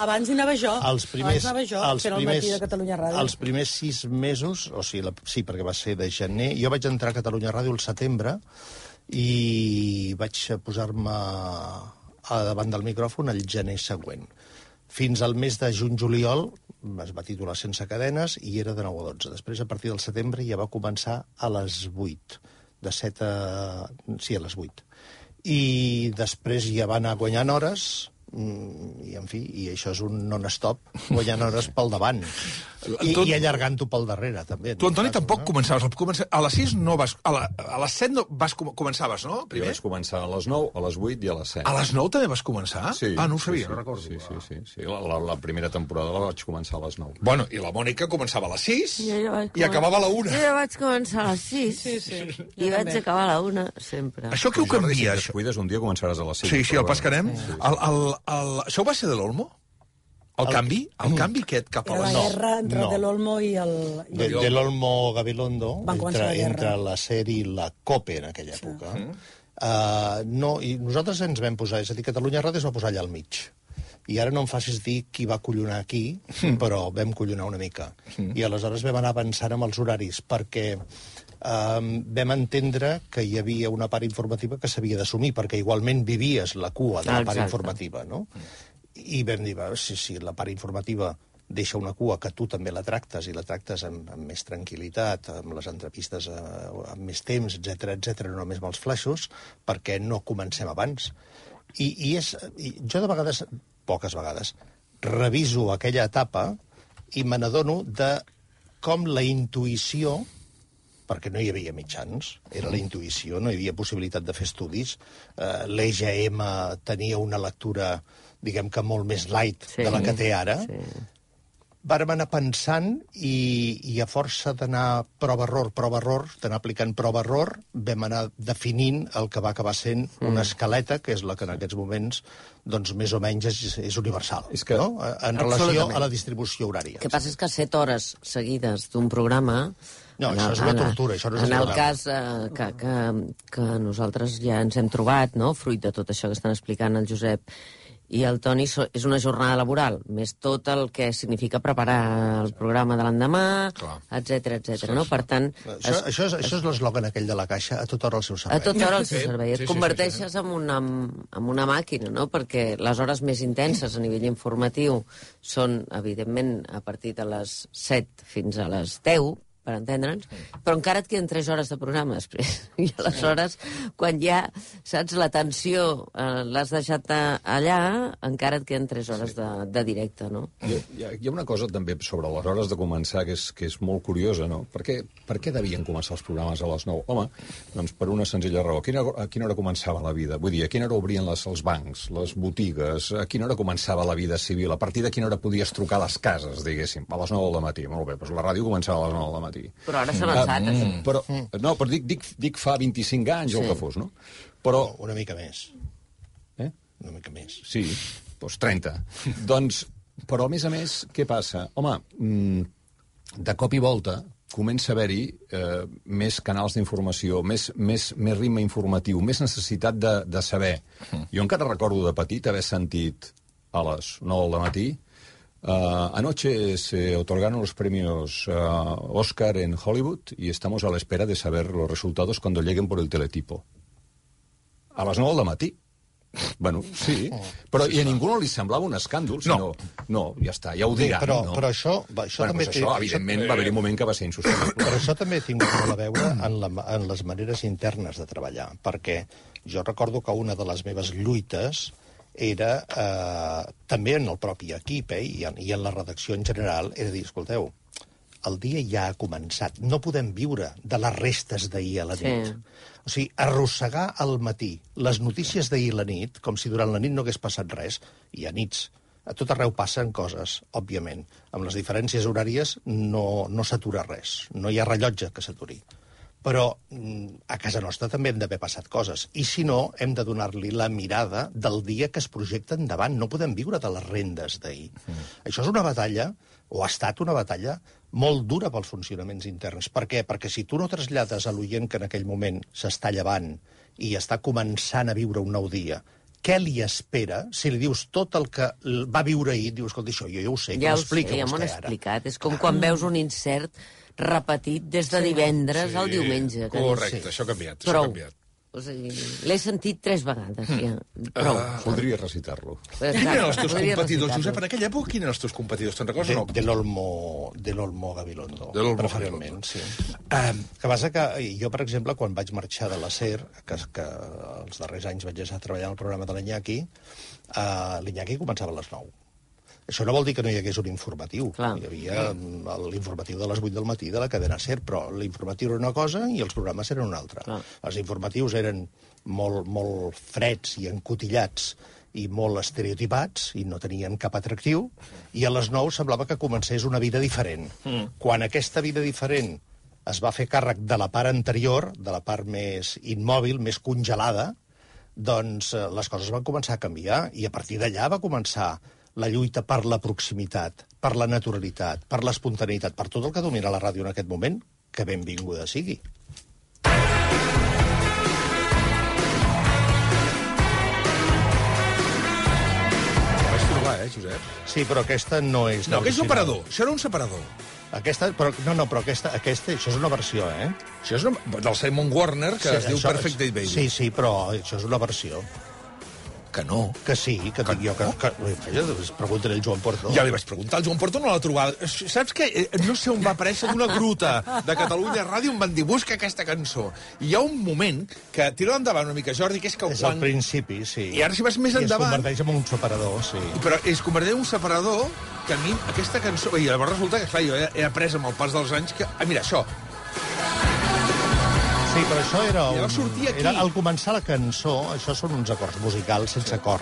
Abans hi anava jo. Abans anava jo, que era el matí de Catalunya Ràdio. Els primers 6 mesos, o sigui, sí, perquè va ser de gener, jo vaig entrar a Catalunya Ràdio al setembre i vaig posar-me davant del micròfon el gener següent. Fins al mes de juny-juliol es va titular Sense Cadenes i era de 9 a 12. Després, a partir del setembre, ja va començar a les 8. De 7 a... Sí, a les 8. I després ja va anar guanyant hores i, en fi, i això és un non-stop, guanyant hores pel davant. I allargant-ho pel darrere, també. Tu, Antoni, tampoc començaves. A les 6 no vas... A les 7 no començaves, no? Primer? Jo vaig començar a les 9, a les 8 i a les 7. A les 9 també vas començar? Sí. No ho sabia, no recordo. Sí. La primera temporada la vaig començar a les 9. Bueno, i la Mònica començava a les 6 i acabava a la 1. Jo vaig començar a les 6 i vaig acabar a la 1, sempre. Això què ho canvia, això? Si cuides, un dia començaràs a les 5. Sí, el pescarem. Això va ser de l'Olmo? El canvi aquest cap a la guerra entre De l'Olmo i el... De l'Olmo Gabilondo, entre la SER i la COPE en aquella època. I nosaltres ens vam posar, és a dir, Catalunya Ràdio es va posar allà al mig. I ara no em facis dir qui va collonar aquí, però vam collonar una mica. I aleshores vam anar avançant amb els horaris, perquè vam entendre que hi havia una part informativa que s'havia d'assumir, perquè igualment vivies la cua de la part informativa, no? I vam dir, si la part informativa deixa una cua que tu també la tractes, i la tractes amb més tranquil·litat, amb les entrevistes amb més temps, etc, no només amb els flaixos, perquè no comencem abans. I jo de vegades, poques vegades, reviso aquella etapa i me n'adono de com la intuïció, perquè no hi havia mitjans, era la intuïció, no hi havia possibilitat de fer estudis, l'EGM tenia una lectura, diguem que molt més light de la que té ara, vàrem anar pensant i a força d'anar prova-error, d'anar aplicant prova-error, vam anar definint el que va acabar sent una escaleta, que és la que en aquests moments, doncs, més o menys és universal, no? En relació a la distribució horària. El que passa és que 7 hores seguides d'un programa... No, això és una tortura, això no és un programa. En el cas que nosaltres ja ens hem trobat, no?, fruit de tot això que estan explicant el Josep i el Toni, és una jornada laboral, més tot el que significa preparar el programa de l'endemà, etc, no? Per tant... Això és l'eslògan aquell de la Caixa, a tota hora al seu servei. A tota hora al seu servei. Et converteixes en una màquina, no? Perquè les hores més intenses a nivell informatiu són, evidentment, a partir de les 7 fins a les 10, per entendre'ns, però encara et queden 3 hores de programa després. I aleshores, quan ja, saps, la tensió l'has deixat allà, encara et queden 3 hores de directe, no? Hi ha una cosa també sobre les hores de començar que és molt curiosa, no? Per què devien començar els programes a les 9? Home, doncs per una senzilla raó. A quina hora començava la vida? Vull dir, a quina hora obrien els bancs, les botigues? A quina hora començava la vida civil? A partir de quina hora podies trucar a les cases, diguéssim? A les 9 del matí. Molt bé, doncs la ràdio començava a les 9 del matí. Però ara s'ha avançat, això. Però dic fa 25 anys o el que fos, no? Però... Una mica més. Una mica més. Sí, doncs 30. Doncs, però a més, què passa? Home, de cop i volta comença a haver-hi més canals d'informació, més ritme informatiu, més necessitat de saber. Jo encara recordo de petit haver sentit a les 9 del matí anoche se otorgaron los premios Oscar en Hollywood y estamos a la espera de saber los resultados cuando lleguen por el teletipo. A les 9 del matí. Bueno, sí, però i a ningú no li semblava un escàndol, sinó... No, ja està, ja ho diran, no? Però això també... Això, evidentment, va haver-hi un moment que va ser insostenible. Però això també ha tingut molt a veure en les maneres internes de treballar, perquè jo recordo que una de les meves lluites era, també en el propi equip i en la redacció en general, era dir, escolteu, el dia ja ha començat, no podem viure de les restes d'ahir a la nit. O sigui, arrossegar al matí les notícies d'ahir a la nit, com si durant la nit no hagués passat res, i a nits a tot arreu passen coses, òbviament. Amb les diferències horàries no s'atura res, no hi ha rellotge que s'aturi. Però a casa nostra també hem d'haver passat coses. I si no, hem de donar-li la mirada del dia que es projecta endavant. No podem viure de les rendes d'ahir. Això és una batalla, o ha estat una batalla, molt dura pels funcionaments interns. Per què? Perquè si tu no trasllades a l'oient que en aquell moment s'està llevant i està començant a viure un nou dia, què li espera? Si li dius tot el que va viure ahir, dius, escolta, això jo ja ho sé, que m'explica vostè ara. Ja m'ho han explicat. És com quan veus un insert repetit des de divendres al diumenge. Correcte, això ha canviat. Prou. O sigui, l'he sentit 3 vegades, ja. Prou. Podria recitar-lo. Quins eren els teus competidors, Josep? En aquella època, quins eren els teus competidors? Te'n recordes o no? De l'Olmo Gabilondo, preferentment, sí. Que passa que jo, per exemple, quan vaig marxar de la SER, que els darrers anys vaig estar treballant al programa de l'Iñaki, l'Iñaki començava a les 9. Això no vol dir que no hi hagués un informatiu. Clar. Hi havia l'informatiu de les 8 del matí de la cadena SER, però l'informatiu era una cosa i els programes eren una altra. Clar. Els informatius eren molt freds i encotillats i molt estereotipats i no tenien cap atractiu, i a les 9 semblava que comencés una vida diferent. Quan aquesta vida diferent es va fer càrrec de la part anterior, de la part més immòbil, més congelada, doncs les coses van començar a canviar, i a partir d'allà va començar la lluita per la proximitat, per la naturalitat, per l'espontaneïtat, per tot el que domina la ràdio en aquest moment, que benvinguda sigui. Vaig trobar, Josep? Sí, però aquesta no és... No, aquest és un separador. Això era un separador. Això és una versió, eh? Això és del Simon Warner, que es diu Perfect Day Baby. Sí, però això és una versió. Que no. Que sí, que dic jo que... Pregunta-li al Joan Porto. Ja li vaig preguntar, el Joan Porto no l'ha trobat. Saps què? No sé on va aparèixer d'una gruta de Catalunya Ràdio, em van dir, busca aquesta cançó. I hi ha un moment que tira endavant una mica, Jordi, que és que és al principi, sí. I ara si vas més endavant... I es converteix en un separador, sí. Però es converteix en un separador que a mi aquesta cançó... I llavors resulta que, clar, jo he après amb el pas dels anys que... mira, això... Sí, però això era al començar la cançó, això són uns acords musicals sense cor.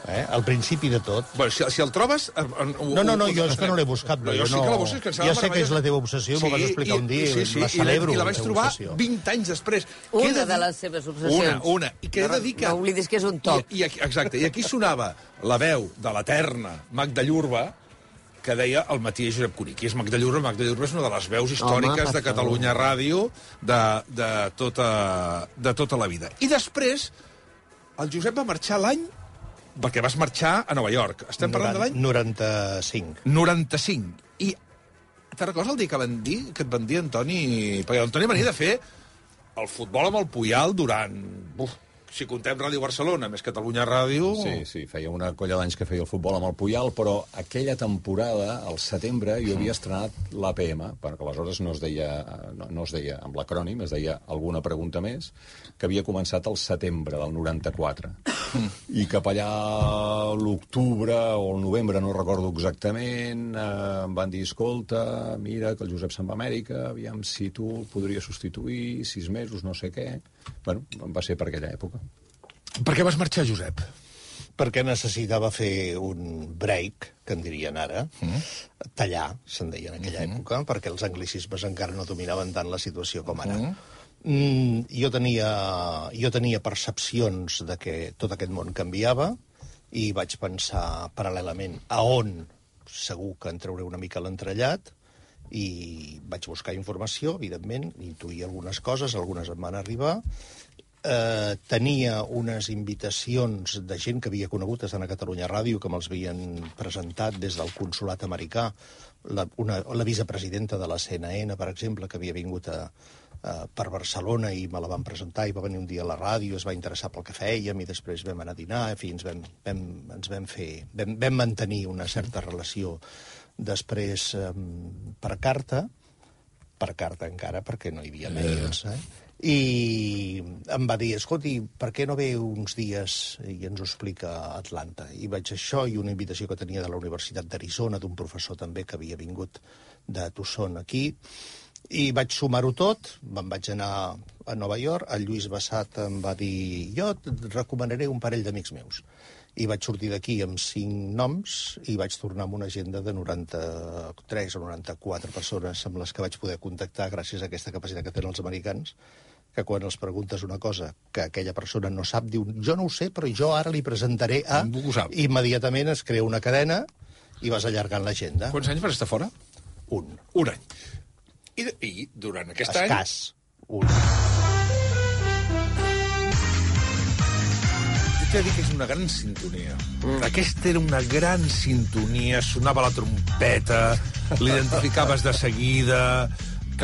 Al principi de tot. Bueno, si el trobes... No, jo és que no l'he buscat. Jo sí que la busques, que ja sé que és la teva obsessió, m'ho vas explicar un dia, la celebro. I la vaig trobar 20 anys després. Una de les seves obsessions. Una. I que he de dir que... No oblidis que és un top. Exacte, i aquí sonava la veu de l'eterna Magda Llurba, que deia El matí és Josep Cuní. Qui és Magda Llurba? Magda Llurba és una de les veus històriques de Catalunya Ràdio de tota la vida. I després, el Josep va marxar l'any... Perquè vas marxar a Nova York. Estem parlant de l'any... 95. 95. I te'n recordes el dia que et van dir, Antoni... Perquè l'Antoni venia de fer el futbol amb el Puyal durant... si contem Ràdio Barcelona, més Catalunya Ràdio... Sí, feia una colla d'anys que feia el futbol amb el Puyal, però aquella temporada, al setembre, jo havia estrenat l'APM, perquè aleshores no es deia amb l'acrònim, es deia alguna pregunta més, que havia començat al setembre del 94. I cap allà l'octubre o el novembre, no recordo exactament, em van dir, escolta, mira, que el Josep se'n va a Amèrica, aviam si tu el podries substituir, 6 mesos, no sé què... Bueno, va ser per aquella època. Per què vas marxar, Josep? Perquè necessitava fer un break, que en dirien ara, tallar, se'n deia en aquella època, perquè els anglicismes encara no dominaven tant la situació com ara. Jo tenia percepcions de que tot aquest món canviava i vaig pensar paral·lelament a on segur que en trauré una mica l'entrellat, i vaig buscar informació, evidentment, intuïa algunes coses, algunes em van arribar. Tenia unes invitacions de gent que havia conegut estant a Catalunya Ràdio, que me'ls havien presentat des del consolat americà, la vicepresidenta de la CNN, per exemple, que havia vingut per Barcelona i me la van presentar i va venir un dia a la ràdio, es va interessar pel que fèiem i després vam anar a dinar, en fi, vam mantenir una certa relació. Després, per carta encara, perquè no hi havia mails, i em va dir, escolti, per què no ve uns dies i ens ho explica a Atlanta? I vaig això, i una invitació que tenia de la Universitat d'Arizona, d'un professor també que havia vingut de Tucson aquí, i vaig sumar-ho tot, me'n vaig anar a Nova York, el Lluís Bassat em va dir, jo et recomanaré un parell d'amics meus. I vaig sortir d'aquí amb 5 noms i vaig tornar amb una agenda de 93 o 94 persones amb les que vaig poder contactar gràcies a aquesta capacitat que tenen els americans, que quan els preguntes una cosa que aquella persona no sap, diu, jo no ho sé, però jo ara li presentaré a... Immediatament es crea una cadena i vas allargant l'agenda. Quants anys vas estar fora? Un. Un any. I durant aquest any... Escàs. Un. T'he de dir que és una gran sintonia. Aquesta era una gran sintonia, sonava la trompeta, l'identificaves de seguida...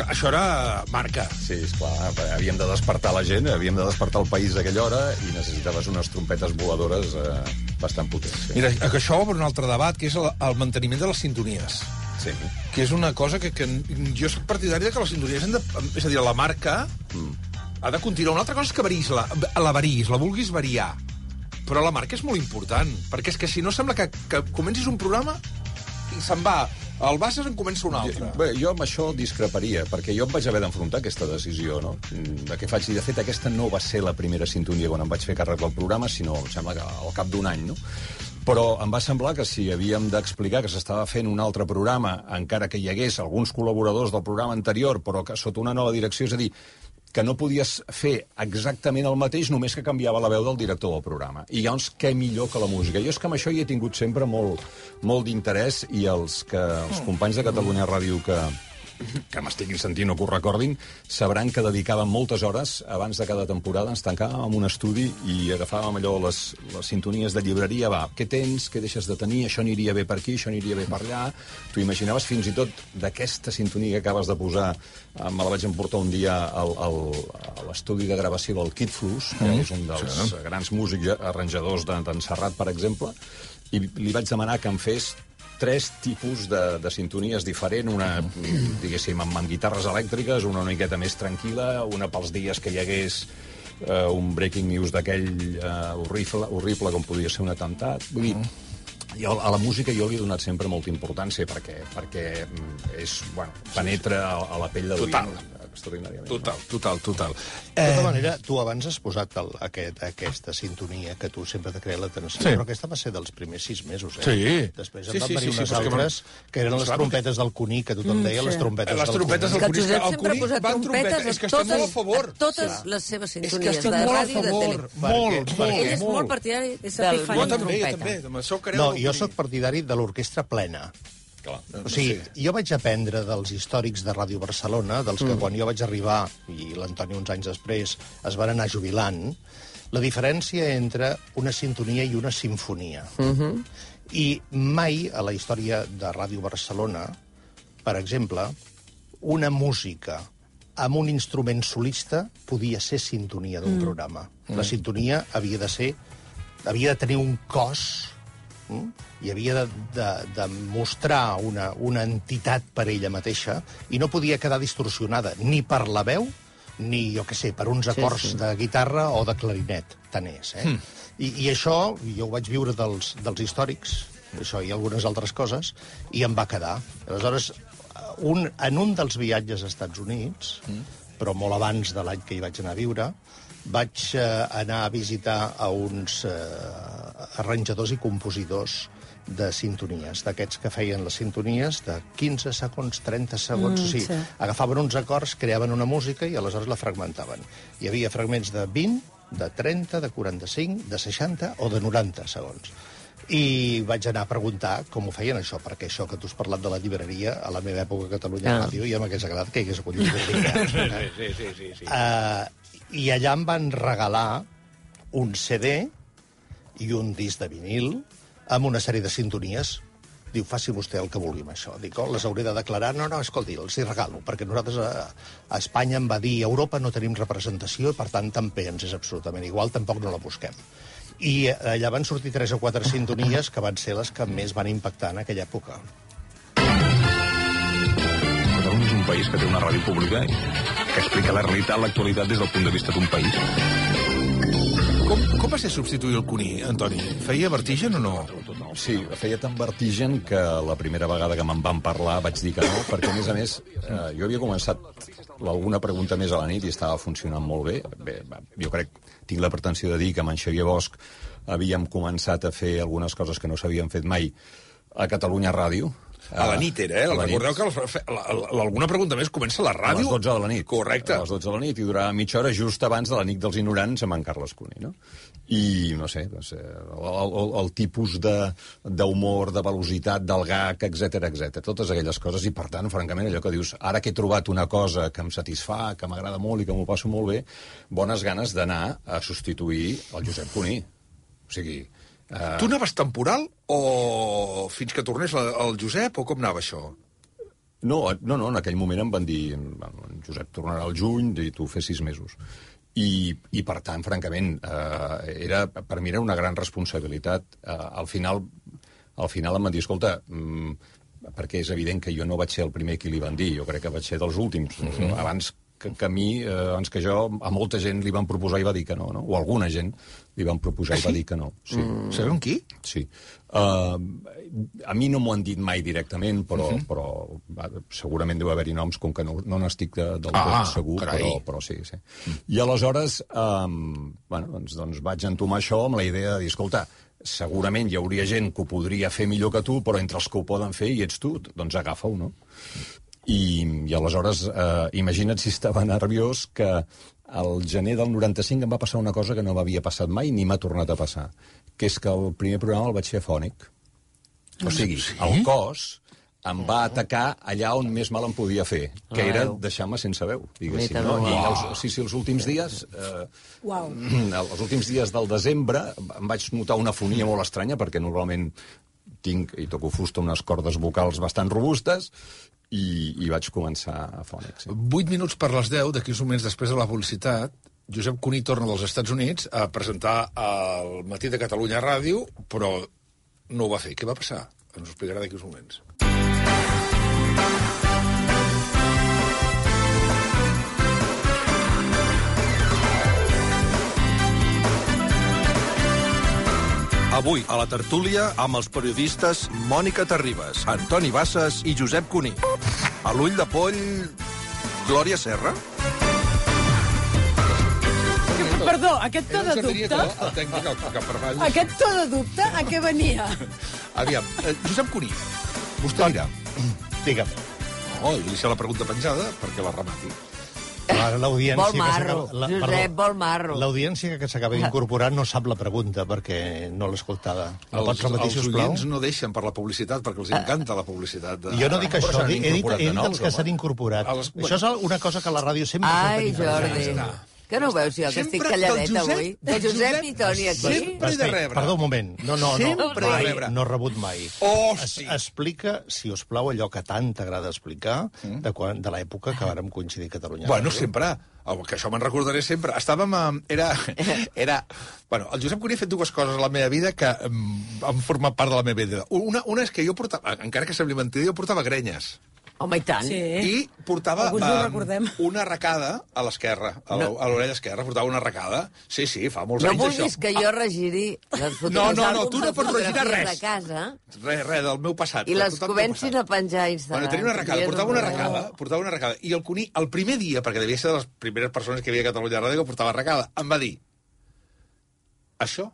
Això era marca. Sí, esclar, havíem de despertar la gent, havíem de despertar el país a aquella hora i necessitaves unes trompetes voladores bastant potents. Sí. Mira, això obre un altre debat, que és el manteniment de les sintonies. Sí. Que és una cosa que jo soc partidari de que les sintonies han de... És a dir, la marca ha de continuar. Una altra cosa és que varis, la vulguis variar. Però la marca és molt important, perquè és que si no sembla que comencis un programa i se'n va al Bassas en comença un altre. Bé, jo amb això discreparia, perquè jo em vaig haver d'enfrontar aquesta decisió, no? De què faig? I, de fet, aquesta no va ser la primera sintonia quan em vaig fer càrrec del programa, sinó, em sembla que al cap d'un any, no? Però em va semblar que si havíem d'explicar que s'estava fent un altre programa, encara que hi hagués alguns col·laboradors del programa anterior, però que sota una nova direcció, és a dir, que no podies fer exactament el mateix, només que canviava la veu del director del programa. I llavors, què millor que la música? Jo és que amb això hi he tingut sempre molt d'interès, i els companys de Catalunya Ràdio que m'estiguin sentint o que ho recordin, sabran que dedicàvem moltes hores abans de cada temporada, ens tancàvem en un estudi i agafàvem allò, les sintonies de llibreria, va, què tens, què deixes de tenir, això aniria bé per aquí, això aniria bé per allà. Tu imaginaves fins i tot d'aquesta sintonia que acabes de posar, me la vaig emportar un dia a l'estudi de gravació del Kid Flus, que és un dels grans músics arranjadors d'en Serrat, per exemple, i li vaig demanar que em fes 3 tipus de sintonies diferent, una, diguéssim, amb guitarres elèctriques, una miqueta més tranquil·la, una pels dies que hi hagués un breaking news d'aquell horrible com podia ser un atemptat. Vull dir, a la música jo li he donat sempre molta importància perquè és, bueno, penetra a la pell de l'oient extraordinàriament. Total. De tota manera, tu abans has posat aquesta sintonia que tu sempre t'ha creat l'atenció, però aquesta va ser dels primers 6 mesos, eh? Sí. Després en van venir unes altres, que eren les trompetes del Cuní, que tothom deia les trompetes del Cuní. Les trompetes del Cuní. Que el Josep sempre ha posat trompetes és que estem molt a favor. Totes les seves sintonies de ràdio i de tele. Molt. Ell és molt partidari del trompeta. No, jo sóc partidari de l'orquestra plena. O sigui, jo vaig aprendre dels històrics de Ràdio Barcelona, dels que quan jo vaig arribar, i l'Antoni uns anys després, es van anar jubilant, la diferència entre una sintonia i una simfonia. I mai a la història de Ràdio Barcelona, per exemple, una música amb un instrument solista podia ser sintonia d'un programa. La sintonia havia de tenir un cos i havia de mostrar una entitat per ella mateixa i no podia quedar distorsionada ni per la veu ni, jo què sé, per uns acords de guitarra o de clarinet. Tant és, I això jo ho vaig viure dels històrics, això i algunes altres coses, i em va quedar. Aleshores, en un dels viatges als Estats Units, però molt abans de l'any que hi vaig anar a viure, vaig anar a visitar a uns arranjadors i compositors de sintonies, d'aquests que feien les sintonies de 15 segons, 30 segons, agafaven uns acords, creaven una música i aleshores la fragmentaven. Hi havia fragments de 20, de 30, de 45, de 60 o de 90 segons. I vaig anar a preguntar com ho feien això, perquè això que tu has parlat de la llibreria, a la meva època a Catalunya Ràdio, ja m'hagués agradat que hi hagués acollit llibreria. Sí. I allà em van regalar un CD i un disc de vinil amb una sèrie de sintonies. Diu, faci vostè el que vulgui amb això. Dic, les hauré de declarar? No, escolti, els hi regalo, perquè nosaltres a Espanya em va dir a Europa no tenim representació, per tant, també ens és absolutament igual, tampoc no la busquem. I allà van sortir 3 o 4 sintonies que van ser les que més van impactar en aquella època. Catalunya és un país que té una ràdio pública que explica la realitat, l'actualitat des del punt de vista d'un país. Com va ser substituir el Cuní, Antoni? Feia vertigen o no? Sí, feia tan vertigen que la primera vegada que me'n van parlar vaig dir que no, perquè, a més, jo havia començat alguna pregunta més a la nit i estava funcionant molt bé. Bé, jo tinc la pretensió de dir que amb en Xavier Bosch havíem començat a fer algunes coses que no s'havien fet mai a Catalunya Ràdio. A la nit era, Recordeu que alguna pregunta més comença a la ràdio. A les 12 de la nit. Correcte. A les 12 de la nit i durava mitja hora just abans de la nit dels ignorants amb en Carles Cuní, no? I, no sé, el tipus d'humor, de velocitat, del gag, etc, totes aquelles coses, i per tant, francament, allò que dius, ara que he trobat una cosa que em satisfà, que m'agrada molt i que m'ho passo molt bé, bones ganes d'anar a substituir el Josep Cuní. O sigui... Tu anaves temporal o fins que tornés el Josep, o com anava això? No, en aquell moment em van dir en Josep tornarà al juny i tu fes 6 mesos. I per tant, francament, per mi era una gran responsabilitat. Al final em van dir, escolta, perquè és evident que jo no vaig ser el primer qui li van dir, jo crec que vaig ser dels últims. Abans que jo, a molta gent li van proposar i va dir que no, o alguna gent li van proposar i va dir que no. Sí. Sabem qui? Sí. A mi no m'ho han dit mai directament, però segurament deu haver-hi noms, com que no n'estic del tot segur, però sí. I aleshores, doncs vaig entomar això amb la idea de dir, escolta, segurament hi hauria gent que ho podria fer millor que tu, però entre els que ho poden fer i ets tu, doncs agafa-ho, no? I aleshores, imagina't si estava nerviós que al gener del 95 em va passar una cosa que no m'havia passat mai ni m'ha tornat a passar, que és que el primer programa el vaig fer afònic. O sigui, el cos em va atacar allà on més mal em podia fer, que era deixar-me sense veu, diguéssim. I els últims dies, els últims dies del desembre, em vaig notar una afonia molt estranya, perquè normalment tinc i toco fusta unes cordes vocals bastant robustes, i vaig començar afònic. 8 minuts per les 10, d'aquí uns moments després de la publicitat, Josep Cuní torna dels Estats Units a presentar el Matí de Catalunya Ràdio, però no ho va fer. Què va passar? Ens ho explicarà d'aquí uns moments. Avui, a la tertúlia, amb els periodistes Mònica Terribas, Antoni Bassas i Josep Cuní. A l'ull de poll, Glòria Serra. Perdó, aquest to de dubte... Aquest to de dubte, a què venia? Aviam, Josep Cuní, vostè dirà. Digue'm. Li deixa la pregunta penjada perquè la remati. Vol marro, Josep, vol marro. L'audiència que s'acaba d'incorporar no sap la pregunta perquè no l'ha escoltada. Els oients no deixen per la publicitat perquè els encanta la publicitat. Jo no dic això, he dit els que s'han incorporat. Això és una cosa que la ràdio sempre... Ai, Jordi. Que no ho veus jo, que estic calladeta avui? De Josep i Toni aquí. Sempre he de rebre. Perdó, un moment. Sempre he de rebre. No he rebut mai. Oh, sí. Explica, si us plau, allò que tant t'agrada explicar de l'època que vàrem coincidir a Catalunya. Bueno, sempre. Que això me'n recordaré sempre. Estàvem a... Bueno, el Josep Cuní ha fet dues coses a la meva vida que han format part de la meva vida. Una és que jo portava, encara que sembli mentida, jo portava grenyes. Home, i tant. Sí. I portava una arracada a l'esquerra, a l'orella esquerra, portava una arracada. Sí, fa molts anys això. això. No vulguis que jo regiri les fotografies No, tu no pots regirar res. de casa. Res, del meu passat. I les comencin a penjar a Instagram. Bueno, tenia una arracada, portava una arracada. I el Cuní, el primer dia, perquè devia ser de les primeres persones que hi havia a Catalunya Ràdio que portava arracada, em va dir: això,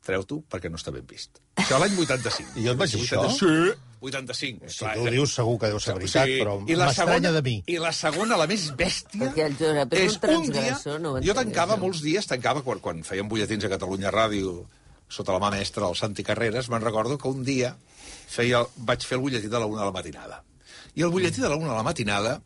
treu-t'ho perquè no està ben vist. Això l'any 85. I jo et vaig dir això? Sí, 85. Si tu ho dius segur que deu ser veritat, però m'estranya de mi. I la segona, la més bèstia, perquè el Josep és un transgressor, no ho entenc. Jo tancava molts dies, quan fèiem butlletins a Catalunya Ràdio, sota la mà mestra, el Santi Carreras, me'n recordo que un dia vaig fer el butlletí de la 1 de la matinada. I el butlletí de la 1 de la matinada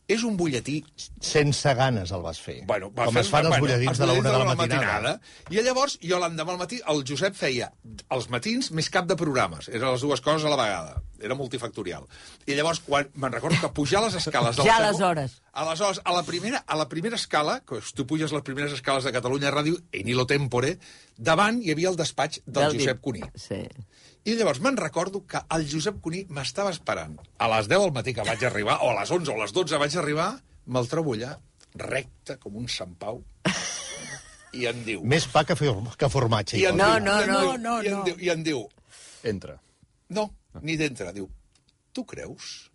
és un butlletí... Sense ganes el vas fer. Bueno, com es fan els butlletins de la 1 de la matinada. I llavors, jo l'endemà al matí, el Josep feia els matins més cap de programes. Eren les dues coses a la vegada. Era multifactorial. I llavors, quan me'n recordo que pujar les escales... Ja aleshores. Aleshores, a la primera escala, que tu puges les primeres escales de Catalunya Ràdio, en Nilo Tempore, davant hi havia el despatx del Josep Cuní. Sí. I llavors me'n recordo que el Josep Cuní m'estava esperant. A les 10 del matí que vaig arribar, o a les 11 o a les 12 vaig arribar, me'l trobo allà, recte com un Sant Pau, i em diu... Més pa que formatge. I em diu... Entra. No, ni d'entre. Diu, tu creus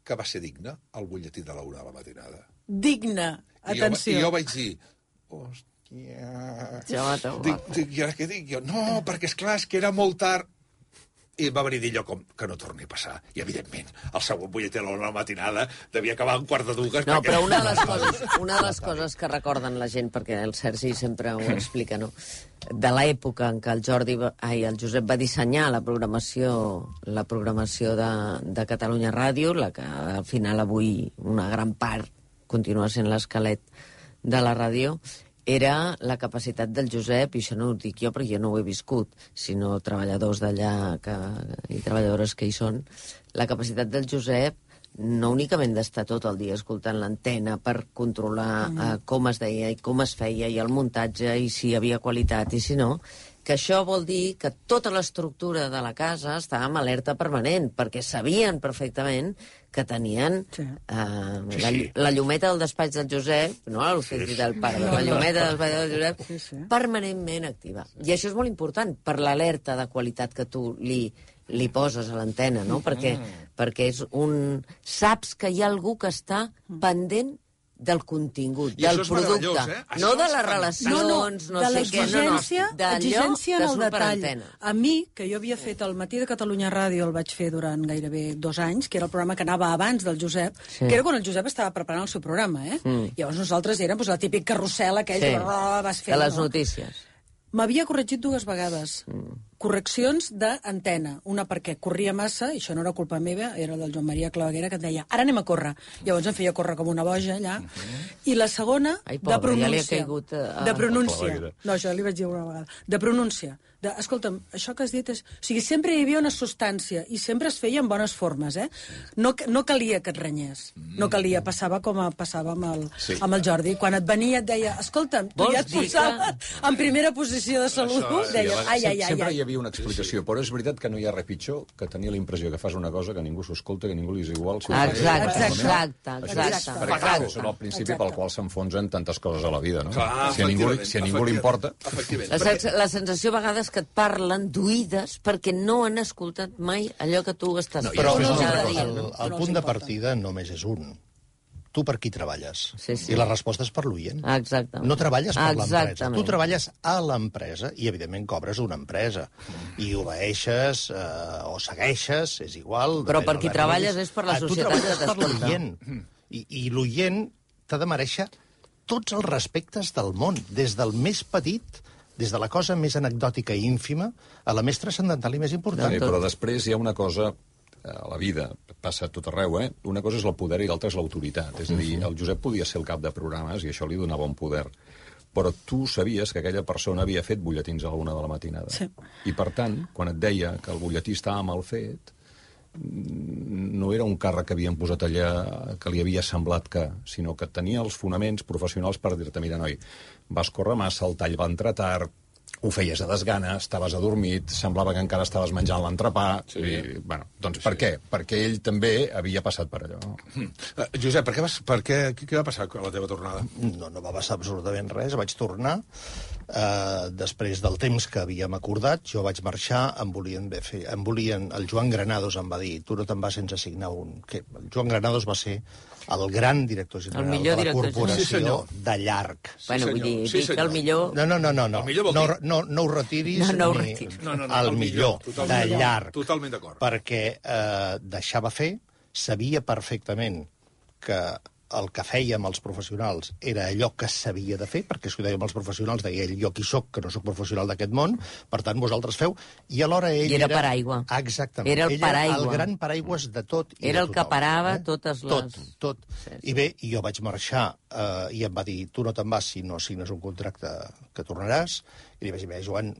que va ser digne el butlletí de la 1 de la matinada? Digne, atenció. I jo vaig dir... I ara què dic jo? No, perquè esclar, és que era molt tard. I va venir d'allò com que no torni a passar. I, evidentment, el següent butlletí a la matinada devia acabar un quart de dues. No, però una de les coses que recorden la gent, perquè el Sergi sempre ho explica, no? De l'època en què el Josep va dissenyar la programació de Catalunya Ràdio, la que al final avui una gran part continua sent l'esquelet de la ràdio, era la capacitat del Josep, i això no ho dic jo perquè jo no ho he viscut, sinó treballadors d'allà i treballadores que hi són, la capacitat del Josep no únicament d'estar tot el dia escoltant l'antena per controlar com es deia i com es feia i el muntatge i si hi havia qualitat i si no, que això vol dir que tota l'estructura de la casa estava en alerta permanent, perquè sabien perfectament que tenien la llumeta del despatx del Josep, no la lucetti del pare, la llumeta del despatx del Josep, permanentment activa. I això és molt important per l'alerta de qualitat que tu li poses a l'antena, no? Perquè és saps que hi ha algú que està pendent del contingut, del producte, no de les relacions, no sé què, l'exigència en el detall. A mi, que jo havia fet el Matí de Catalunya Ràdio, el vaig fer durant gairebé 2 anys, que era el programa que anava abans del Josep, que era quan el Josep estava preparant el seu programa, Llavors nosaltres érem la típic carrusel aquell que vas fer. De les notícies. M'havia corregit 2 vegades. Correccions d'antena. Una perquè corria massa, i això no era culpa meva, era del Joan Maria Claveguera, que et deia, ara anem a córrer. Llavors em feia córrer com una boja, allà. I la segona, de pronúncia. De pronúncia. No, això li vaig dir una vegada. De pronúncia. Escolta'm, això que has dit és... O sigui, sempre hi havia una substància i sempre es feia en bones formes, No calia que et renyés. No calia, passava com passava amb el Jordi. Quan et venia et deia, escolta'm, tu ja et posaves en primera posició de salut, deia, ai. Sempre hi havia una explicació, però és veritat que no hi ha res pitjor que tenir la impressió que fas una cosa que ningú s'ho escolta, que ningú li és igual. Exacte. Perquè és el principi pel qual s'enfonsen tantes coses a la vida, no? Si a ningú li importa... La sensació a vegades que et parlen d'oïdes perquè no han escoltat mai allò que tu estàs fent. Però el punt de partida només és un. Tu per qui treballes? I la resposta és per l'oient. Exactament. No treballes per l'empresa. Tu treballes a l'empresa i, evidentment, cobres una empresa. I obeeixes o segueixes, és igual... Però per qui treballes és per la societat que t'escolta. Tu treballes per l'oient. I l'oient t'ha de mereixer tots els respectes del món, des del més petit... des de la cosa més anecdòtica i ínfima a la més transcendental i més important. Però després hi ha una cosa a la vida, passa a tot arreu, una cosa és el poder i l'altra és l'autoritat. És a dir, el Josep podia ser el cap de programes i això li donava un poder. Però tu sabies que aquella persona havia fet butlletins a la 1 de la matinada. Sí. I, per tant, quan et deia que el butlletí estava mal fet, no era un càrrec que havien posat allà que li havia semblat que, sinó que tenia els fonaments professionals per dir-te, mira, noi, vas córrer massa, el tall va entrar tard, ho feies a desgana, estaves adormit, semblava que encara estaves menjant l'entrepà... Sí. I, bueno, doncs per què? Perquè ell també havia passat per allò. Josep, què va passar a la teva tornada? No va passar absolutament res. Vaig tornar, després del temps que havíem acordat, jo vaig marxar, em volien... El Joan Granados em va dir, tu no te'n vas sense signar un... El Joan Granados va ser el gran director general de la corporació de llarg. Bueno, vull dir, dic que el millor... No ho retiris. No ho retiris. El millor, de llarg. Totalment d'acord. Perquè deixava fer, sabia perfectament que el que fèiem els professionals era allò que s'havia de fer, perquè si ho dèiem els professionals, deia ell, jo qui soc, que no soc professional d'aquest món, per tant, vosaltres feu, i alhora ell I era paraigua. Exactament. Era el paraigua. Era el gran paraigües de tot i era de tothom. El que parava totes les... Tot. Sí. I bé, jo vaig marxar i em va dir, tu no te'n vas si no signes un contracte que tornaràs, i li vaig dir, Joan,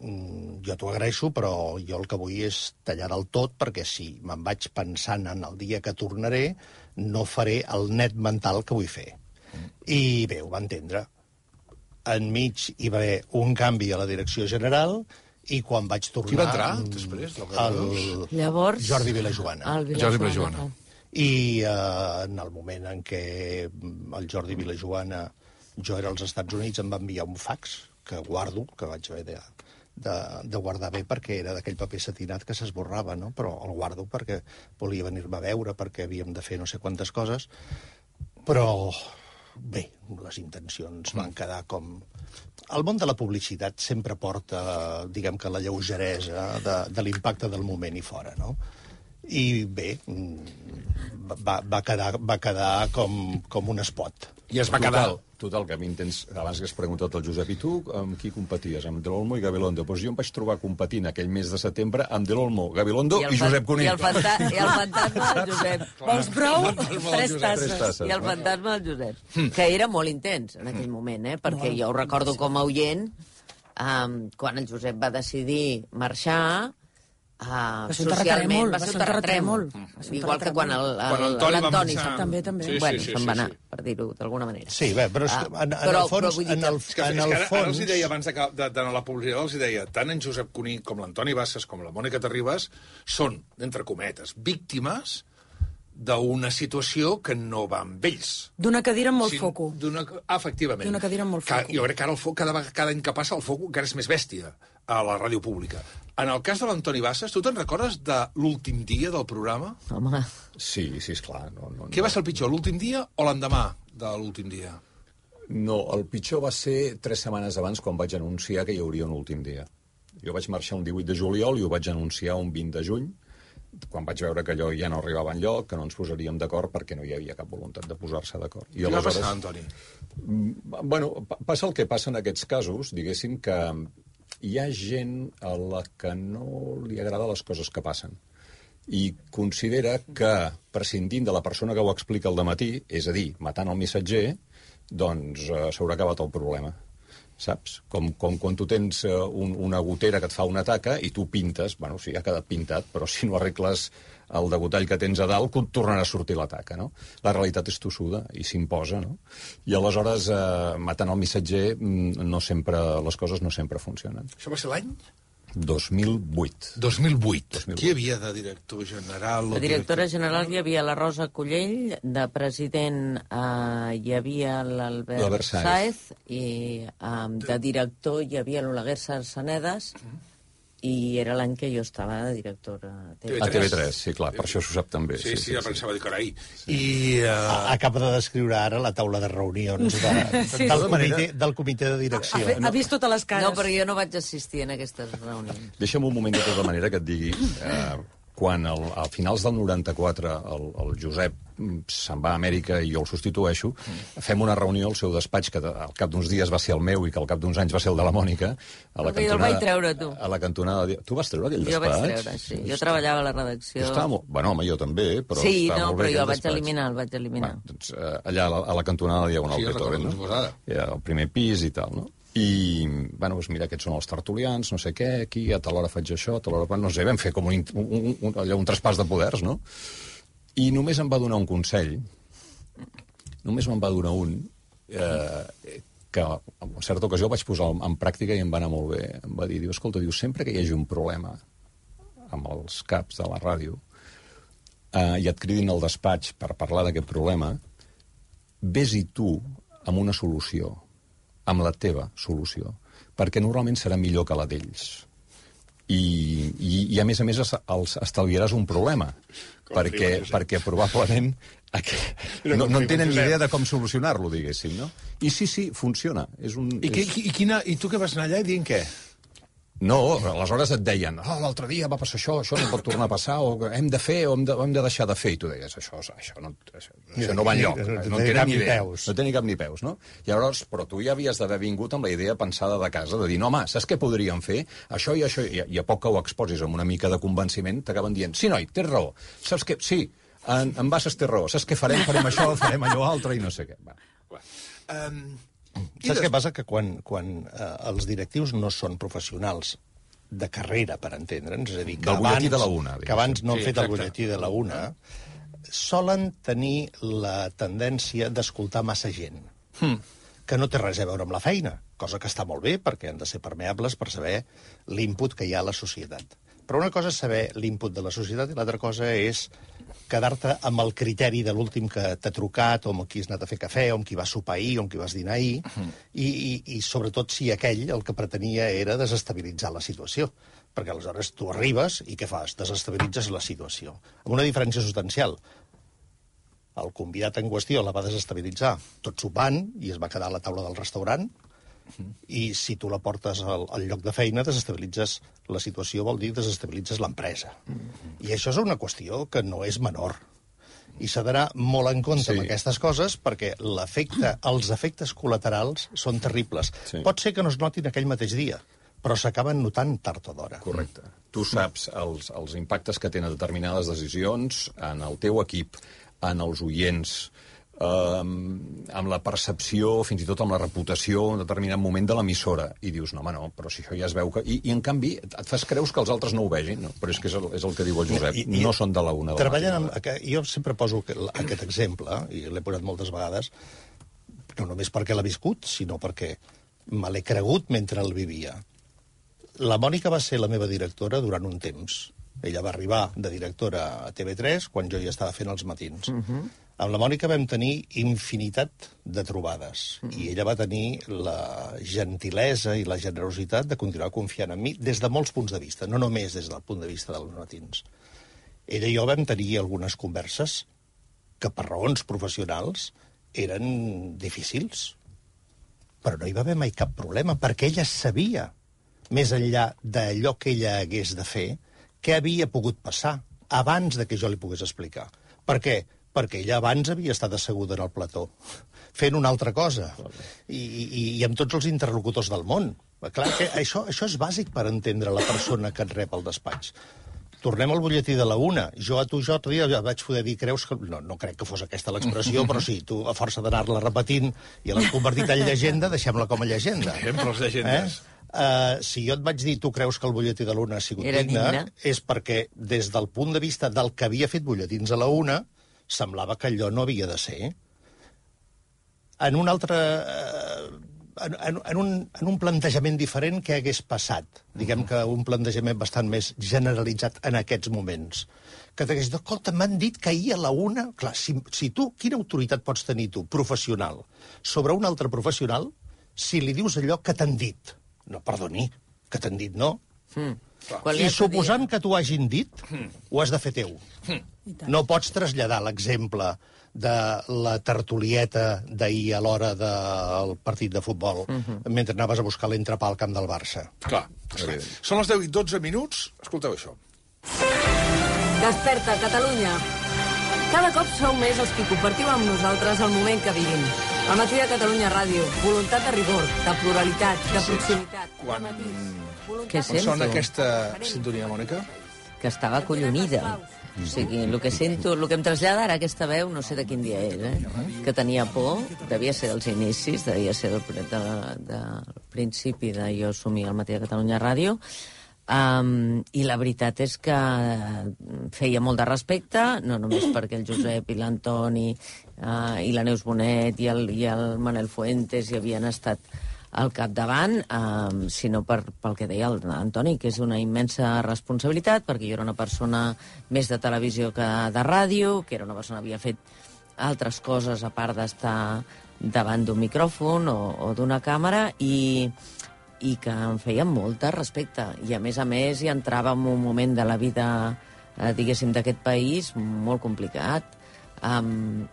jo t'ho agraeixo, però jo el que vull és tallar del tot, perquè si me'n vaig pensant en el dia que tornaré, no faré el net mental que vull fer. I bé, ho va entendre. Enmig hi va haver un canvi a la direcció general i quan vaig tornar... Qui va entrar després? Llavors... Jordi Vilajoana. Jordi Vilajoana. I en el moment en què el Jordi Vilajoana, jo era als Estats Units, em va enviar un fax que guardo, que vaig haver de guardar bé perquè era d'aquell paper satinat que s'esborrava, no? Però el guardo perquè volia venir-me a veure, perquè havíem de fer no sé quantes coses, però bé, les intencions van quedar com... El món de la publicitat sempre porta, diguem que la lleugeresa de l'impacte del moment i fora, no? I bé, va quedar com un espot. I es va quedar... Total, que a mi abans que has preguntat al Josep, i tu amb qui competies? Amb Del Olmo i Gabilondo. Doncs jo em vaig trobar competint aquell mes de setembre amb Del Olmo, Gabilondo i Josep Cuní. I el fantasma del Josep. Vols prou? 3 tasses. I el fantasma del Josep. Que era molt intens en aquell moment, perquè jo ho recordo com a oient, quan el Josep va decidir marxar, socialment va ser un terratrèmol. Igual que quan l'Antoni també. Bueno, se'n va anar, per dir-ho d'alguna manera. Sí, bé, però en el fons... Ara els deia, abans d'anar a la publicitat, els deia, tant en Josep Cuní com l'Antoni Bassas com la Mònica Terribas són, entre cometes, víctimes d'una situació que no va amb ells. D'una cadira amb molt foco. Efectivament. D'una cadira amb molt foco. Jo crec que ara cada any que passa el foco encara és més bèstia a la ràdio pública. En el cas de l'Antoni Bassas, tu te'n recordes de l'últim dia del programa? Home. Sí, esclar. Què va ser el pitjor, l'últim dia o l'endemà de l'últim dia? No, el pitjor va ser 3 setmanes abans quan vaig anunciar que hi hauria un últim dia. Jo vaig marxar un 18 de juliol i ho vaig anunciar un 20 de juny, quan vaig veure que allò ja no arribava enlloc, que no ens posaríem d'acord perquè no hi havia cap voluntat de posar-se d'acord. Què va passar, Antoni? Bueno, passa el que passa en aquests casos, diguéssim que hi ha gent a la que no li agrada les coses que passen i considera que, prescindint de la persona que ho explica al dematí, és a dir, matant el missatger, doncs s'haurà acabat el problema. Saps? Com quan tu tens una gotera que et fa una taca i tu pintes, bueno, sí, ha quedat pintat, però si no arregles el degotall que tens a dalt, tornarà a sortir la taca, no? La realitat és tossuda i s'imposa, no? I aleshores, matant el missatger, les coses no sempre funcionen. Això va ser l'any? 2008. 2008. Qui hi havia de director general? La directora general hi havia la Rosa Collell, de president hi havia l'Albert Sáez, i de director hi havia l'Oleguer Sarsenedes, i era l'any que jo estava de directora a TV3. A TV3, sí, clar, per això s'ho sap també. Sí, ja pensava dir que era ahir. Acaba de descriure ara la taula de reunions del comitè de direcció. Ha vist totes les cares. No, però jo no vaig assistir en aquestes reunions. Deixa'm un moment de tota manera que et digui... Quan a finals del 94 el Josep se'n va a Amèrica i jo el substitueixo, fem una reunió al seu despatx, que al cap d'uns dies va ser el meu i que al cap d'uns anys va ser el de la Mònica, a la cantonada... Jo el vaig treure, tu. A la cantonada... Tu vas treure aquell despatx? Jo vaig treure, sí. Jo treballava a la redacció. Bueno, home, jo també, però sí, estava molt bé. Sí, però jo el vaig eliminar, Doncs, allà a la cantonada Diagonal Beethoven, no? Al primer pis i tal, no? I, bueno, doncs mira, aquests són els tertulians, no sé què, aquí, a tal hora faig això, a tal hora... No sé, vam fer com un traspàs de poders, no? I només em va donar un consell, només me'n va donar un, que en certa ocasió vaig posar en pràctica i em va anar molt bé. Em va dir, escolta, sempre que hi hagi un problema amb els caps de la ràdio i et cridin al despatx per parlar d'aquest problema, vés-hi tu amb una solució, amb la teva solució, perquè normalment serà millor que la d'ells. I a més els estalviaràs un problema, perquè probablement no en tenen ni idea de com solucionar-lo, diguéssim, no? I sí, funciona. I tu que vas anar allà i dient què? No, aleshores et deien, l'altre dia va passar això no pot tornar a passar, o hem de fer, o hem de deixar de fer, i tu deies, això no va enlloc, no tenen ni idea, no tenen cap ni peus, no? I llavors, però tu ja havies d'haver vingut amb la idea pensada de casa, de dir, no, home, saps què podríem fer? Això i això, i a poc que ho exposis amb una mica de convenciment, t'acaben dient, sí, noi, tens raó, saps què? Sí, en Bassas té raó, saps què farem? Farem això, farem allò altre, i no sé què. Saps què passa? Que quan els directius no són professionals de carrera, per entendre'ns, és a dir, del butlletí de la una, que abans no han fet el butlletí de la una, solen tenir la tendència d'escoltar massa gent, que no té res a veure amb la feina, cosa que està molt bé, perquè han de ser permeables per saber l'input que hi ha a la societat. Però una cosa és saber l'input de la societat i l'altra cosa és quedar-te amb el criteri de l'últim que t'ha trucat, o amb qui has anat a fer cafè, o amb qui vas sopar ahir, o amb qui vas dinar ahir, i sobretot si aquell el que pretenia era desestabilitzar la situació. Perquè aleshores tu arribes i què fas? Desestabilitzes la situació. Amb una diferència substancial. El convidat en qüestió la va desestabilitzar tot sopant i es va quedar a la taula del restaurant, i si tu la portes al lloc de feina, desestabilitzes la situació, vol dir desestabilitzes l'empresa. I això és una qüestió que no és menor. I s'ha d'anar molt en compte amb aquestes coses, perquè els efectes col·laterals són terribles. Pot ser que no es notin aquell mateix dia, però s'acaben notant tard o d'hora. Correcte. Tu saps els impactes que tenen determinades decisions en el teu equip, en els oients, amb la percepció, fins i tot amb la reputació en un determinat moment de l'emissora. I dius, no, home, no, però si això ja es veu que... I en canvi, et fas creus que els altres no ho vegin, no? Però és que és el que diu el Josep. No són de la una. Jo sempre poso aquest exemple, i l'he posat moltes vegades, no només perquè l'ha viscut, sinó perquè me l'he cregut mentre el vivia. La Mònica va ser la meva directora durant un temps. Ella va arribar de directora a TV3 quan jo ja estava fent els matins. Amb la Mònica vam tenir infinitat de trobades i ella va tenir la gentilesa i la generositat de continuar confiant en mi des de molts punts de vista, no només des del punt de vista dels matins. Ella i jo vam tenir algunes converses que per raons professionals eren difícils, però no hi va haver mai cap problema, perquè ella sabia, més enllà d'allò que ella hagués de fer, què havia pogut passar abans de que jo li pogués explicar. Per què? Perquè ella abans havia estat asseguda en el plató, fent una altra cosa, i amb tots els interlocutors del món. Clar, que això és bàsic per entendre la persona que et rep al despatx. Tornem al butlletí de la una. Jo l'altre dia vaig poder dir, creus que... No crec que fos aquesta l'expressió, però sí, tu, a força d'anar-la repetint i l'has convertit en llegenda, deixem-la com a llegenda. Sempre les llegendes. Si jo et vaig dir, tu creus que el butlletí de la una ha sigut digne, és perquè, des del punt de vista del que havia fet butlletins a la una, semblava que allò no havia de ser. En un altre... En un plantejament diferent, què hagués passat? Diguem que un plantejament bastant més generalitzat en aquests moments. Que t'hagués dit, escolta, m'han dit que ahir a la una... Clar, si tu, quina autoritat pots tenir tu, professional, sobre un altre professional, si li dius allò que t'han dit? No, perdoni, que t'han dit no. I suposant que t'ho hagin dit, ho has de fer teu. No pots traslladar l'exemple de la tertulieta d'ahir a l'hora del partit de futbol, mentre anaves a buscar l'entrepà al camp del Barça. Clar. Són les 10 i 12 minuts. Escolteu això. Desperta, Catalunya. Cada cop sou més els que compartiu amb nosaltres el moment que vivim. Al matí de Catalunya Ràdio, voluntat de rigor, de pluralitat, de proximitat. Quan Què sento? sona aquesta sintonia, Mònica? Que estava acollonida. O sigui, el que sento, el que em trasllada ara aquesta veu, no sé de quin dia és, que tenia por, devia ser dels inicis, devia ser del principi de jo assumir al matí de Catalunya Ràdio, i la veritat és que feia molt de respecte, no només perquè el Josep i l'Antoni i la Neus Bonet i el Manel Fuentes hi havien estat al capdavant, sinó pel que deia l'Antoni, que és una immensa responsabilitat, perquè jo era una persona més de televisió que de ràdio, que era una persona que havia fet altres coses a part d'estar davant d'un micròfon o d'una càmera, i que em feia molt de respecte. I, a més, hi entrava en un moment de la vida, diguéssim, d'aquest país molt complicat.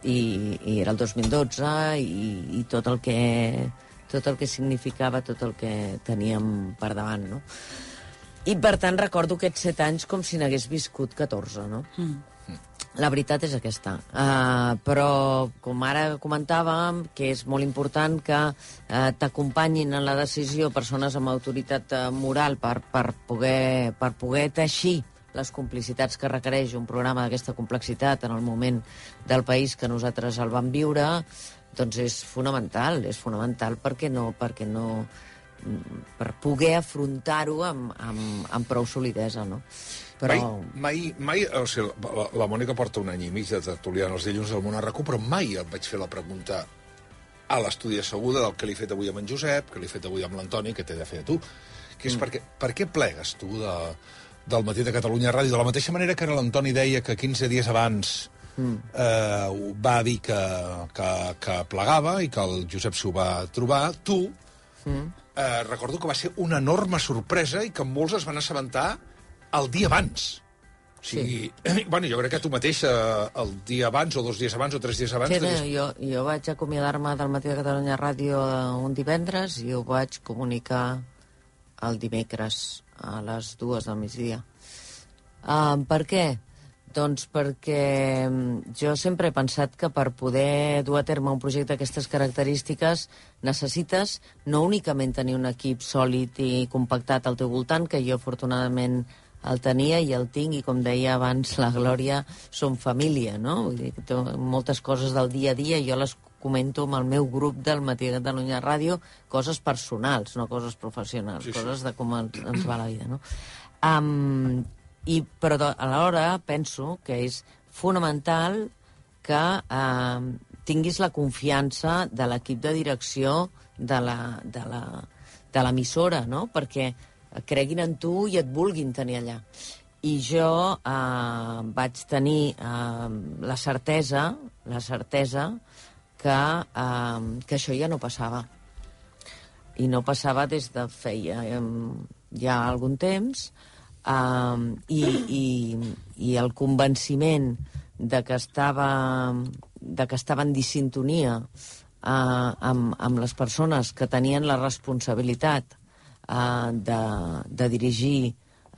I era el 2012 i tot el que significava, tot el que teníem per davant, no? I, per tant, recordo aquests 7 anys com si n'hagués viscut 14, no? La veritat és aquesta. Però, com ara comentàvem, que és molt important que t'acompanyin en la decisió persones amb autoritat moral per poder teixir les complicitats que requereix un programa d'aquesta complexitat en el moment del país que nosaltres el vam viure, doncs és fonamental per poder afrontar-ho amb prou solidesa, no? Però... Mai, o sigui, la Mònica porta un any i mig de tertuliana els dilluns del Món a RAC1, però mai em vaig fer la pregunta a l'estudi asseguda del que li he fet avui amb en Josep, que li he fet avui amb l'Antoni, que t'he de fer a tu, que és per què plegues tu del matí de Catalunya Ràdio? De la mateixa manera que l'Antoni deia que 15 dies abans va dir que plegava i que el Josep s'ho va trobar, tu, recordo que va ser una enorme sorpresa i que molts es van assabentar el dia abans. O sigui, bueno, jo crec que tu mateix el dia abans, o 2 dies abans, o 3 dies abans... Sí, jo vaig acomiadar-me del matí de Catalunya Ràdio un divendres i ho vaig comunicar el dimecres a les 2 del migdia. Per què? Doncs perquè jo sempre he pensat que per poder dur a terme un projecte d'aquestes característiques necessites no únicament tenir un equip sòlid i compactat al teu voltant, que jo afortunadament el tenia i el tinc, i com deia abans la Glòria, som família, no? Vull dir que moltes coses del dia a dia jo les comento amb el meu grup del matí de Catalunya Ràdio, coses personals, no coses professionals, coses de com ens va la vida, no? Però alhora penso que és fonamental que tinguis la confiança de l'equip de direcció de l'emissora, no? Perquè creguin en tu i et vulguin tenir allà. I jo vaig tenir la certesa que això ja no passava. I no passava des de feia ja algun temps, i el convenciment de que estaven dissintonia amb les persones que tenien la responsabilitat de dirigir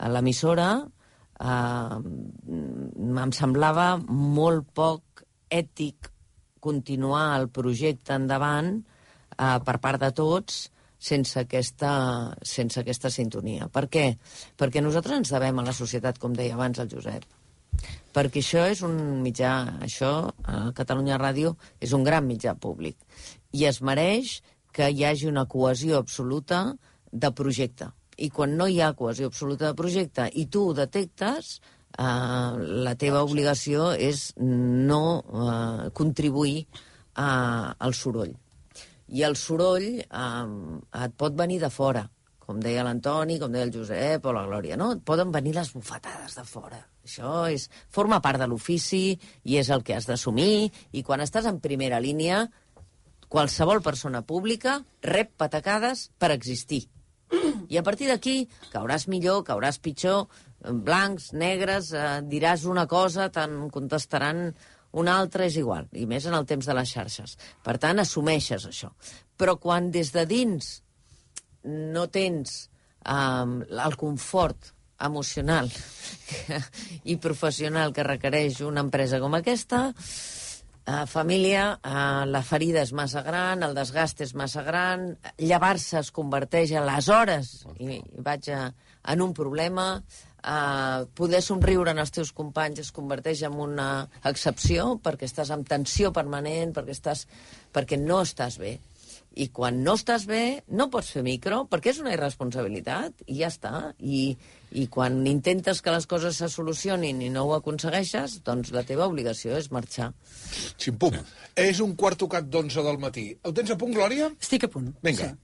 l'emissora, em semblava molt poc ètic continuar el projecte endavant per part de tots sense aquesta sintonia. Per què? Perquè nosaltres ens devem a la societat, com deia abans el Josep. Perquè això és un mitjà, Catalunya Ràdio, és un gran mitjà públic. I es mereix que hi hagi una cohesió absoluta de projecte. I quan no hi ha cohesió absoluta de projecte i tu ho detectes, la teva obligació és no contribuir al soroll. I el soroll et pot venir de fora, com deia l'Antoni, com deia el Josep o la Glòria, no? Et poden venir les bufetades de fora. Això forma part de l'ofici i és el que has d'assumir, i quan estàs en primera línia, qualsevol persona pública rep patacades per existir. I a partir d'aquí cauràs millor, cauràs pitjor, blancs, negres, diràs una cosa, te'n contestaran una altra, és igual, i més en el temps de les xarxes. Per tant, assumeixes això. Però quan des de dins no tens el confort emocional i professional que requereix una empresa com aquesta, família, la ferida és massa gran, el desgast és massa gran, llevar-se es converteix a les hores, i vaig en un problema, poder somriure en els teus companys es converteix en una excepció, perquè estàs amb tensió permanent, perquè no estàs bé. I quan no estàs bé, no pots fer micro, perquè és una irresponsabilitat, i ja està. I quan intentes que les coses se solucionin i no ho aconsegueixes, doncs la teva obligació és marxar. Ximpum. És 11:15 del matí. Ho tens a punt, Glòria? Estic a punt. Vinga. Sí.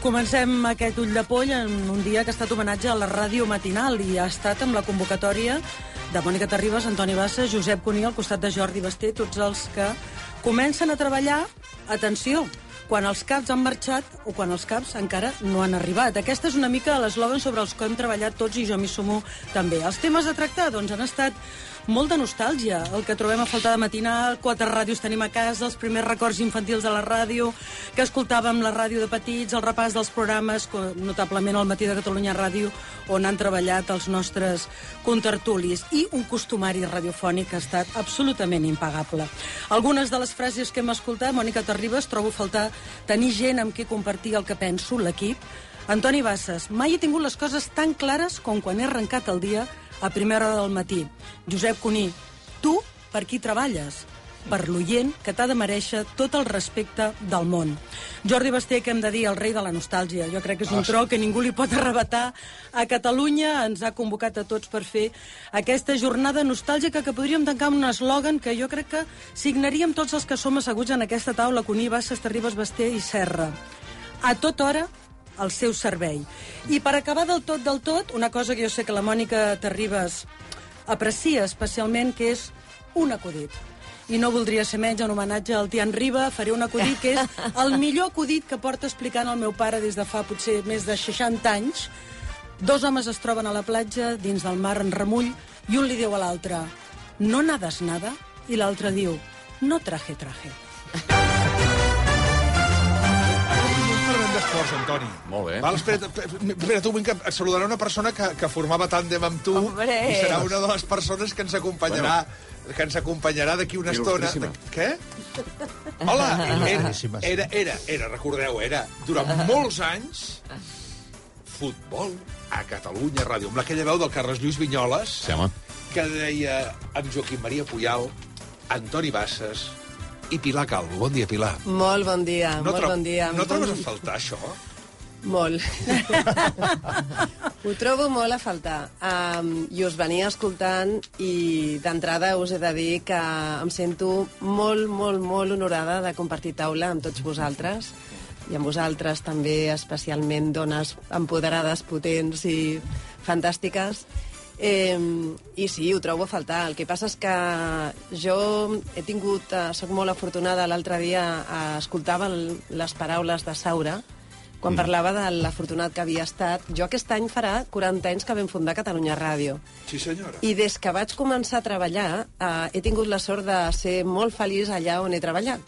Comencem aquest ull de poll en un dia que ha estat homenatge a la ràdio matinal i ha estat amb la convocatòria de Mònica Terribas, Antoni Bassas, Josep Cuní, al costat de Jordi Basté, tots els que comencen a treballar, atenció, quan els caps han marxat o quan els caps encara no han arribat. Aquesta és una mica l'eslògan sobre els que hem treballat tots i jo m'hi sumo també. Els temes a tractar, doncs, han estat molt de nostàlgia, el que trobem a faltar de matinal, 4 ràdios tenim a casa, els primers records infantils de la ràdio, que escoltàvem la ràdio de petits, el repàs dels programes, notablement al Matí de Catalunya Ràdio, on han treballat els nostres contertulis, i un costumari radiofònic que ha estat absolutament impagable. Algunes de les frases que hem escoltat, Mònica Terribas, trobo a faltar tenir gent amb qui compartir el que penso, l'equip. Antoni Bassas, mai he tingut les coses tan clares com quan he arrencat el dia a primera hora del matí. Josep Cuní, tu per qui treballes? Per l'oient que t'ha de merèixer tot el respecte del món. Jordi Basté, que hem de dir, el rei de la nostàlgia. Jo crec que és un tro que ningú li pot arrebatar. A Catalunya ens ha convocat a tots per fer aquesta jornada nostàlgica que podríem tancar amb un eslògan que jo crec que signaríem tots els que som asseguts en aquesta taula, Cuní, Bassas, Terribas, Basté i Serra. A tota hora, al seu servei. I per acabar del tot, una cosa que jo sé que la Mònica Terribas aprecia especialment, que és un acudit. I no voldria ser menys en homenatge al Tian Riba, faré un acudit que és el millor acudit que porta explicant el meu pare des de fa potser més de 60 anys. 2 homes es troben a la platja, dins del mar en remull, i un li diu a l'altre, no nades nada? I l'altre diu, no traje. D'esports, Antoni. Molt bé. Val, espera, tu, vinc a saludar una persona que formava tàndem amb tu. Hombre. I serà una de les persones que ens acompanyarà d'aquí una estona. Què? Hola! Recordeu, era durant molts anys futbol a Catalunya Ràdio, amb aquella veu del Carles Lluís Vinyoles, que deia amb Joaquim Maria Puyal, Antoni Bassas i Pilar Calvo. Bon dia, Pilar. Molt bon dia, bon dia. No trobes a faltar, això? Molt. Ho trobo molt a faltar. I us venia escoltant i d'entrada us he de dir que em sento molt honorada de compartir taula amb tots vosaltres i amb vosaltres també especialment dones empoderades, potents i fantàstiques. I sí, ho trobo a faltar. El que passa és que jo he tingut, soc molt afortunada, l'altre dia escoltava les paraules de Saura quan parlava de l'afortunat que havia estat. Jo aquest any farà 40 anys que vam fundar Catalunya Ràdio. Sí, senyora. I des que vaig començar a treballar he tingut la sort de ser molt feliç allà on he treballat.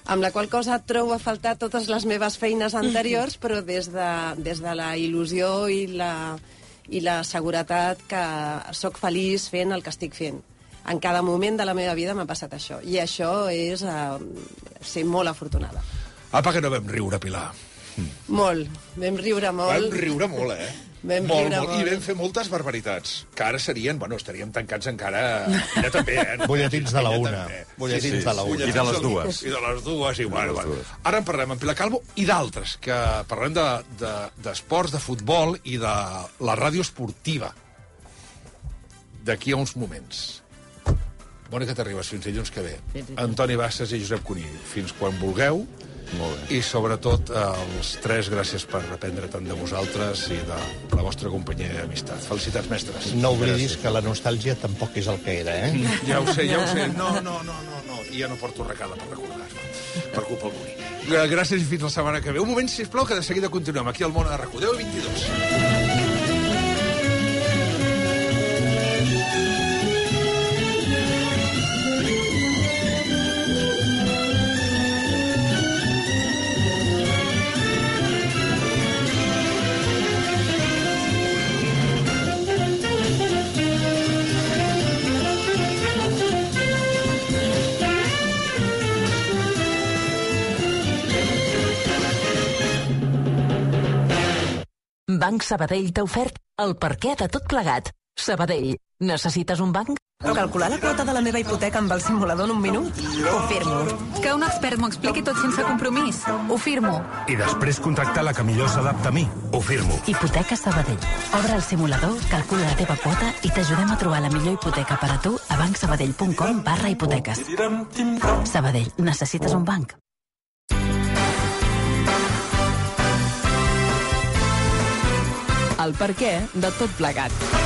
Amb la qual cosa trobo a faltar totes les meves feines anteriors, però des de la il·lusió i la seguretat que sóc feliç fent el que estic fent. En cada moment de la meva vida m'ha passat això. I això és ser molt afortunada. Apa, que no vam riure, Pilar. Molt. Vam riure molt. Vam riure molt, eh? Vam riure molt. I vam fer moltes barbaritats, que ara serien, estaríem tancats encara... Ella també, eh? Butlletins de la una. Butlletins de la una. I de les dues. I de les dues, i bueno. Ara en parlem amb Pilar Calvo i d'altres, que parlem d'esports, de futbol i de la ràdio esportiva. D'aquí a uns moments. Mònica Terribas, fins dilluns que ve. Antoni Bassas i Josep Cuní, fins quan vulgueu. Molt bé. I sobretot els 3, gràcies per aprendre tant de vosaltres i de la vostra companyia i amistat. Felicitats, mestres. No oblidis que la nostàlgia tampoc és el que era, eh? Ja ho sé. No. I ja no porto recada per recordar-me. Per culpa del Cuní. Gràcies i fins la setmana que ve. Un moment, sisplau, que de seguida continuem aquí al Món a RAC1. 10:22. Banc Sabadell t'ha ofert el perquè de tot plegat. Sabadell, necessites un banc? Calcular la quota de la meva hipoteca amb el simulador en un minut? Ho firmo. Que un expert m'ho expliqui tot sense compromís? Ho firmo. I després contractar la que millor s'adapta a mi? Ho firmo. Hipoteca Sabadell. Obre el simulador, calcula la teva quota i t'ajudem a trobar la millor hipoteca per a tu a bancsabadell.com/hipoteques. Sabadell, necessites un banc? El perquè de tot plegat.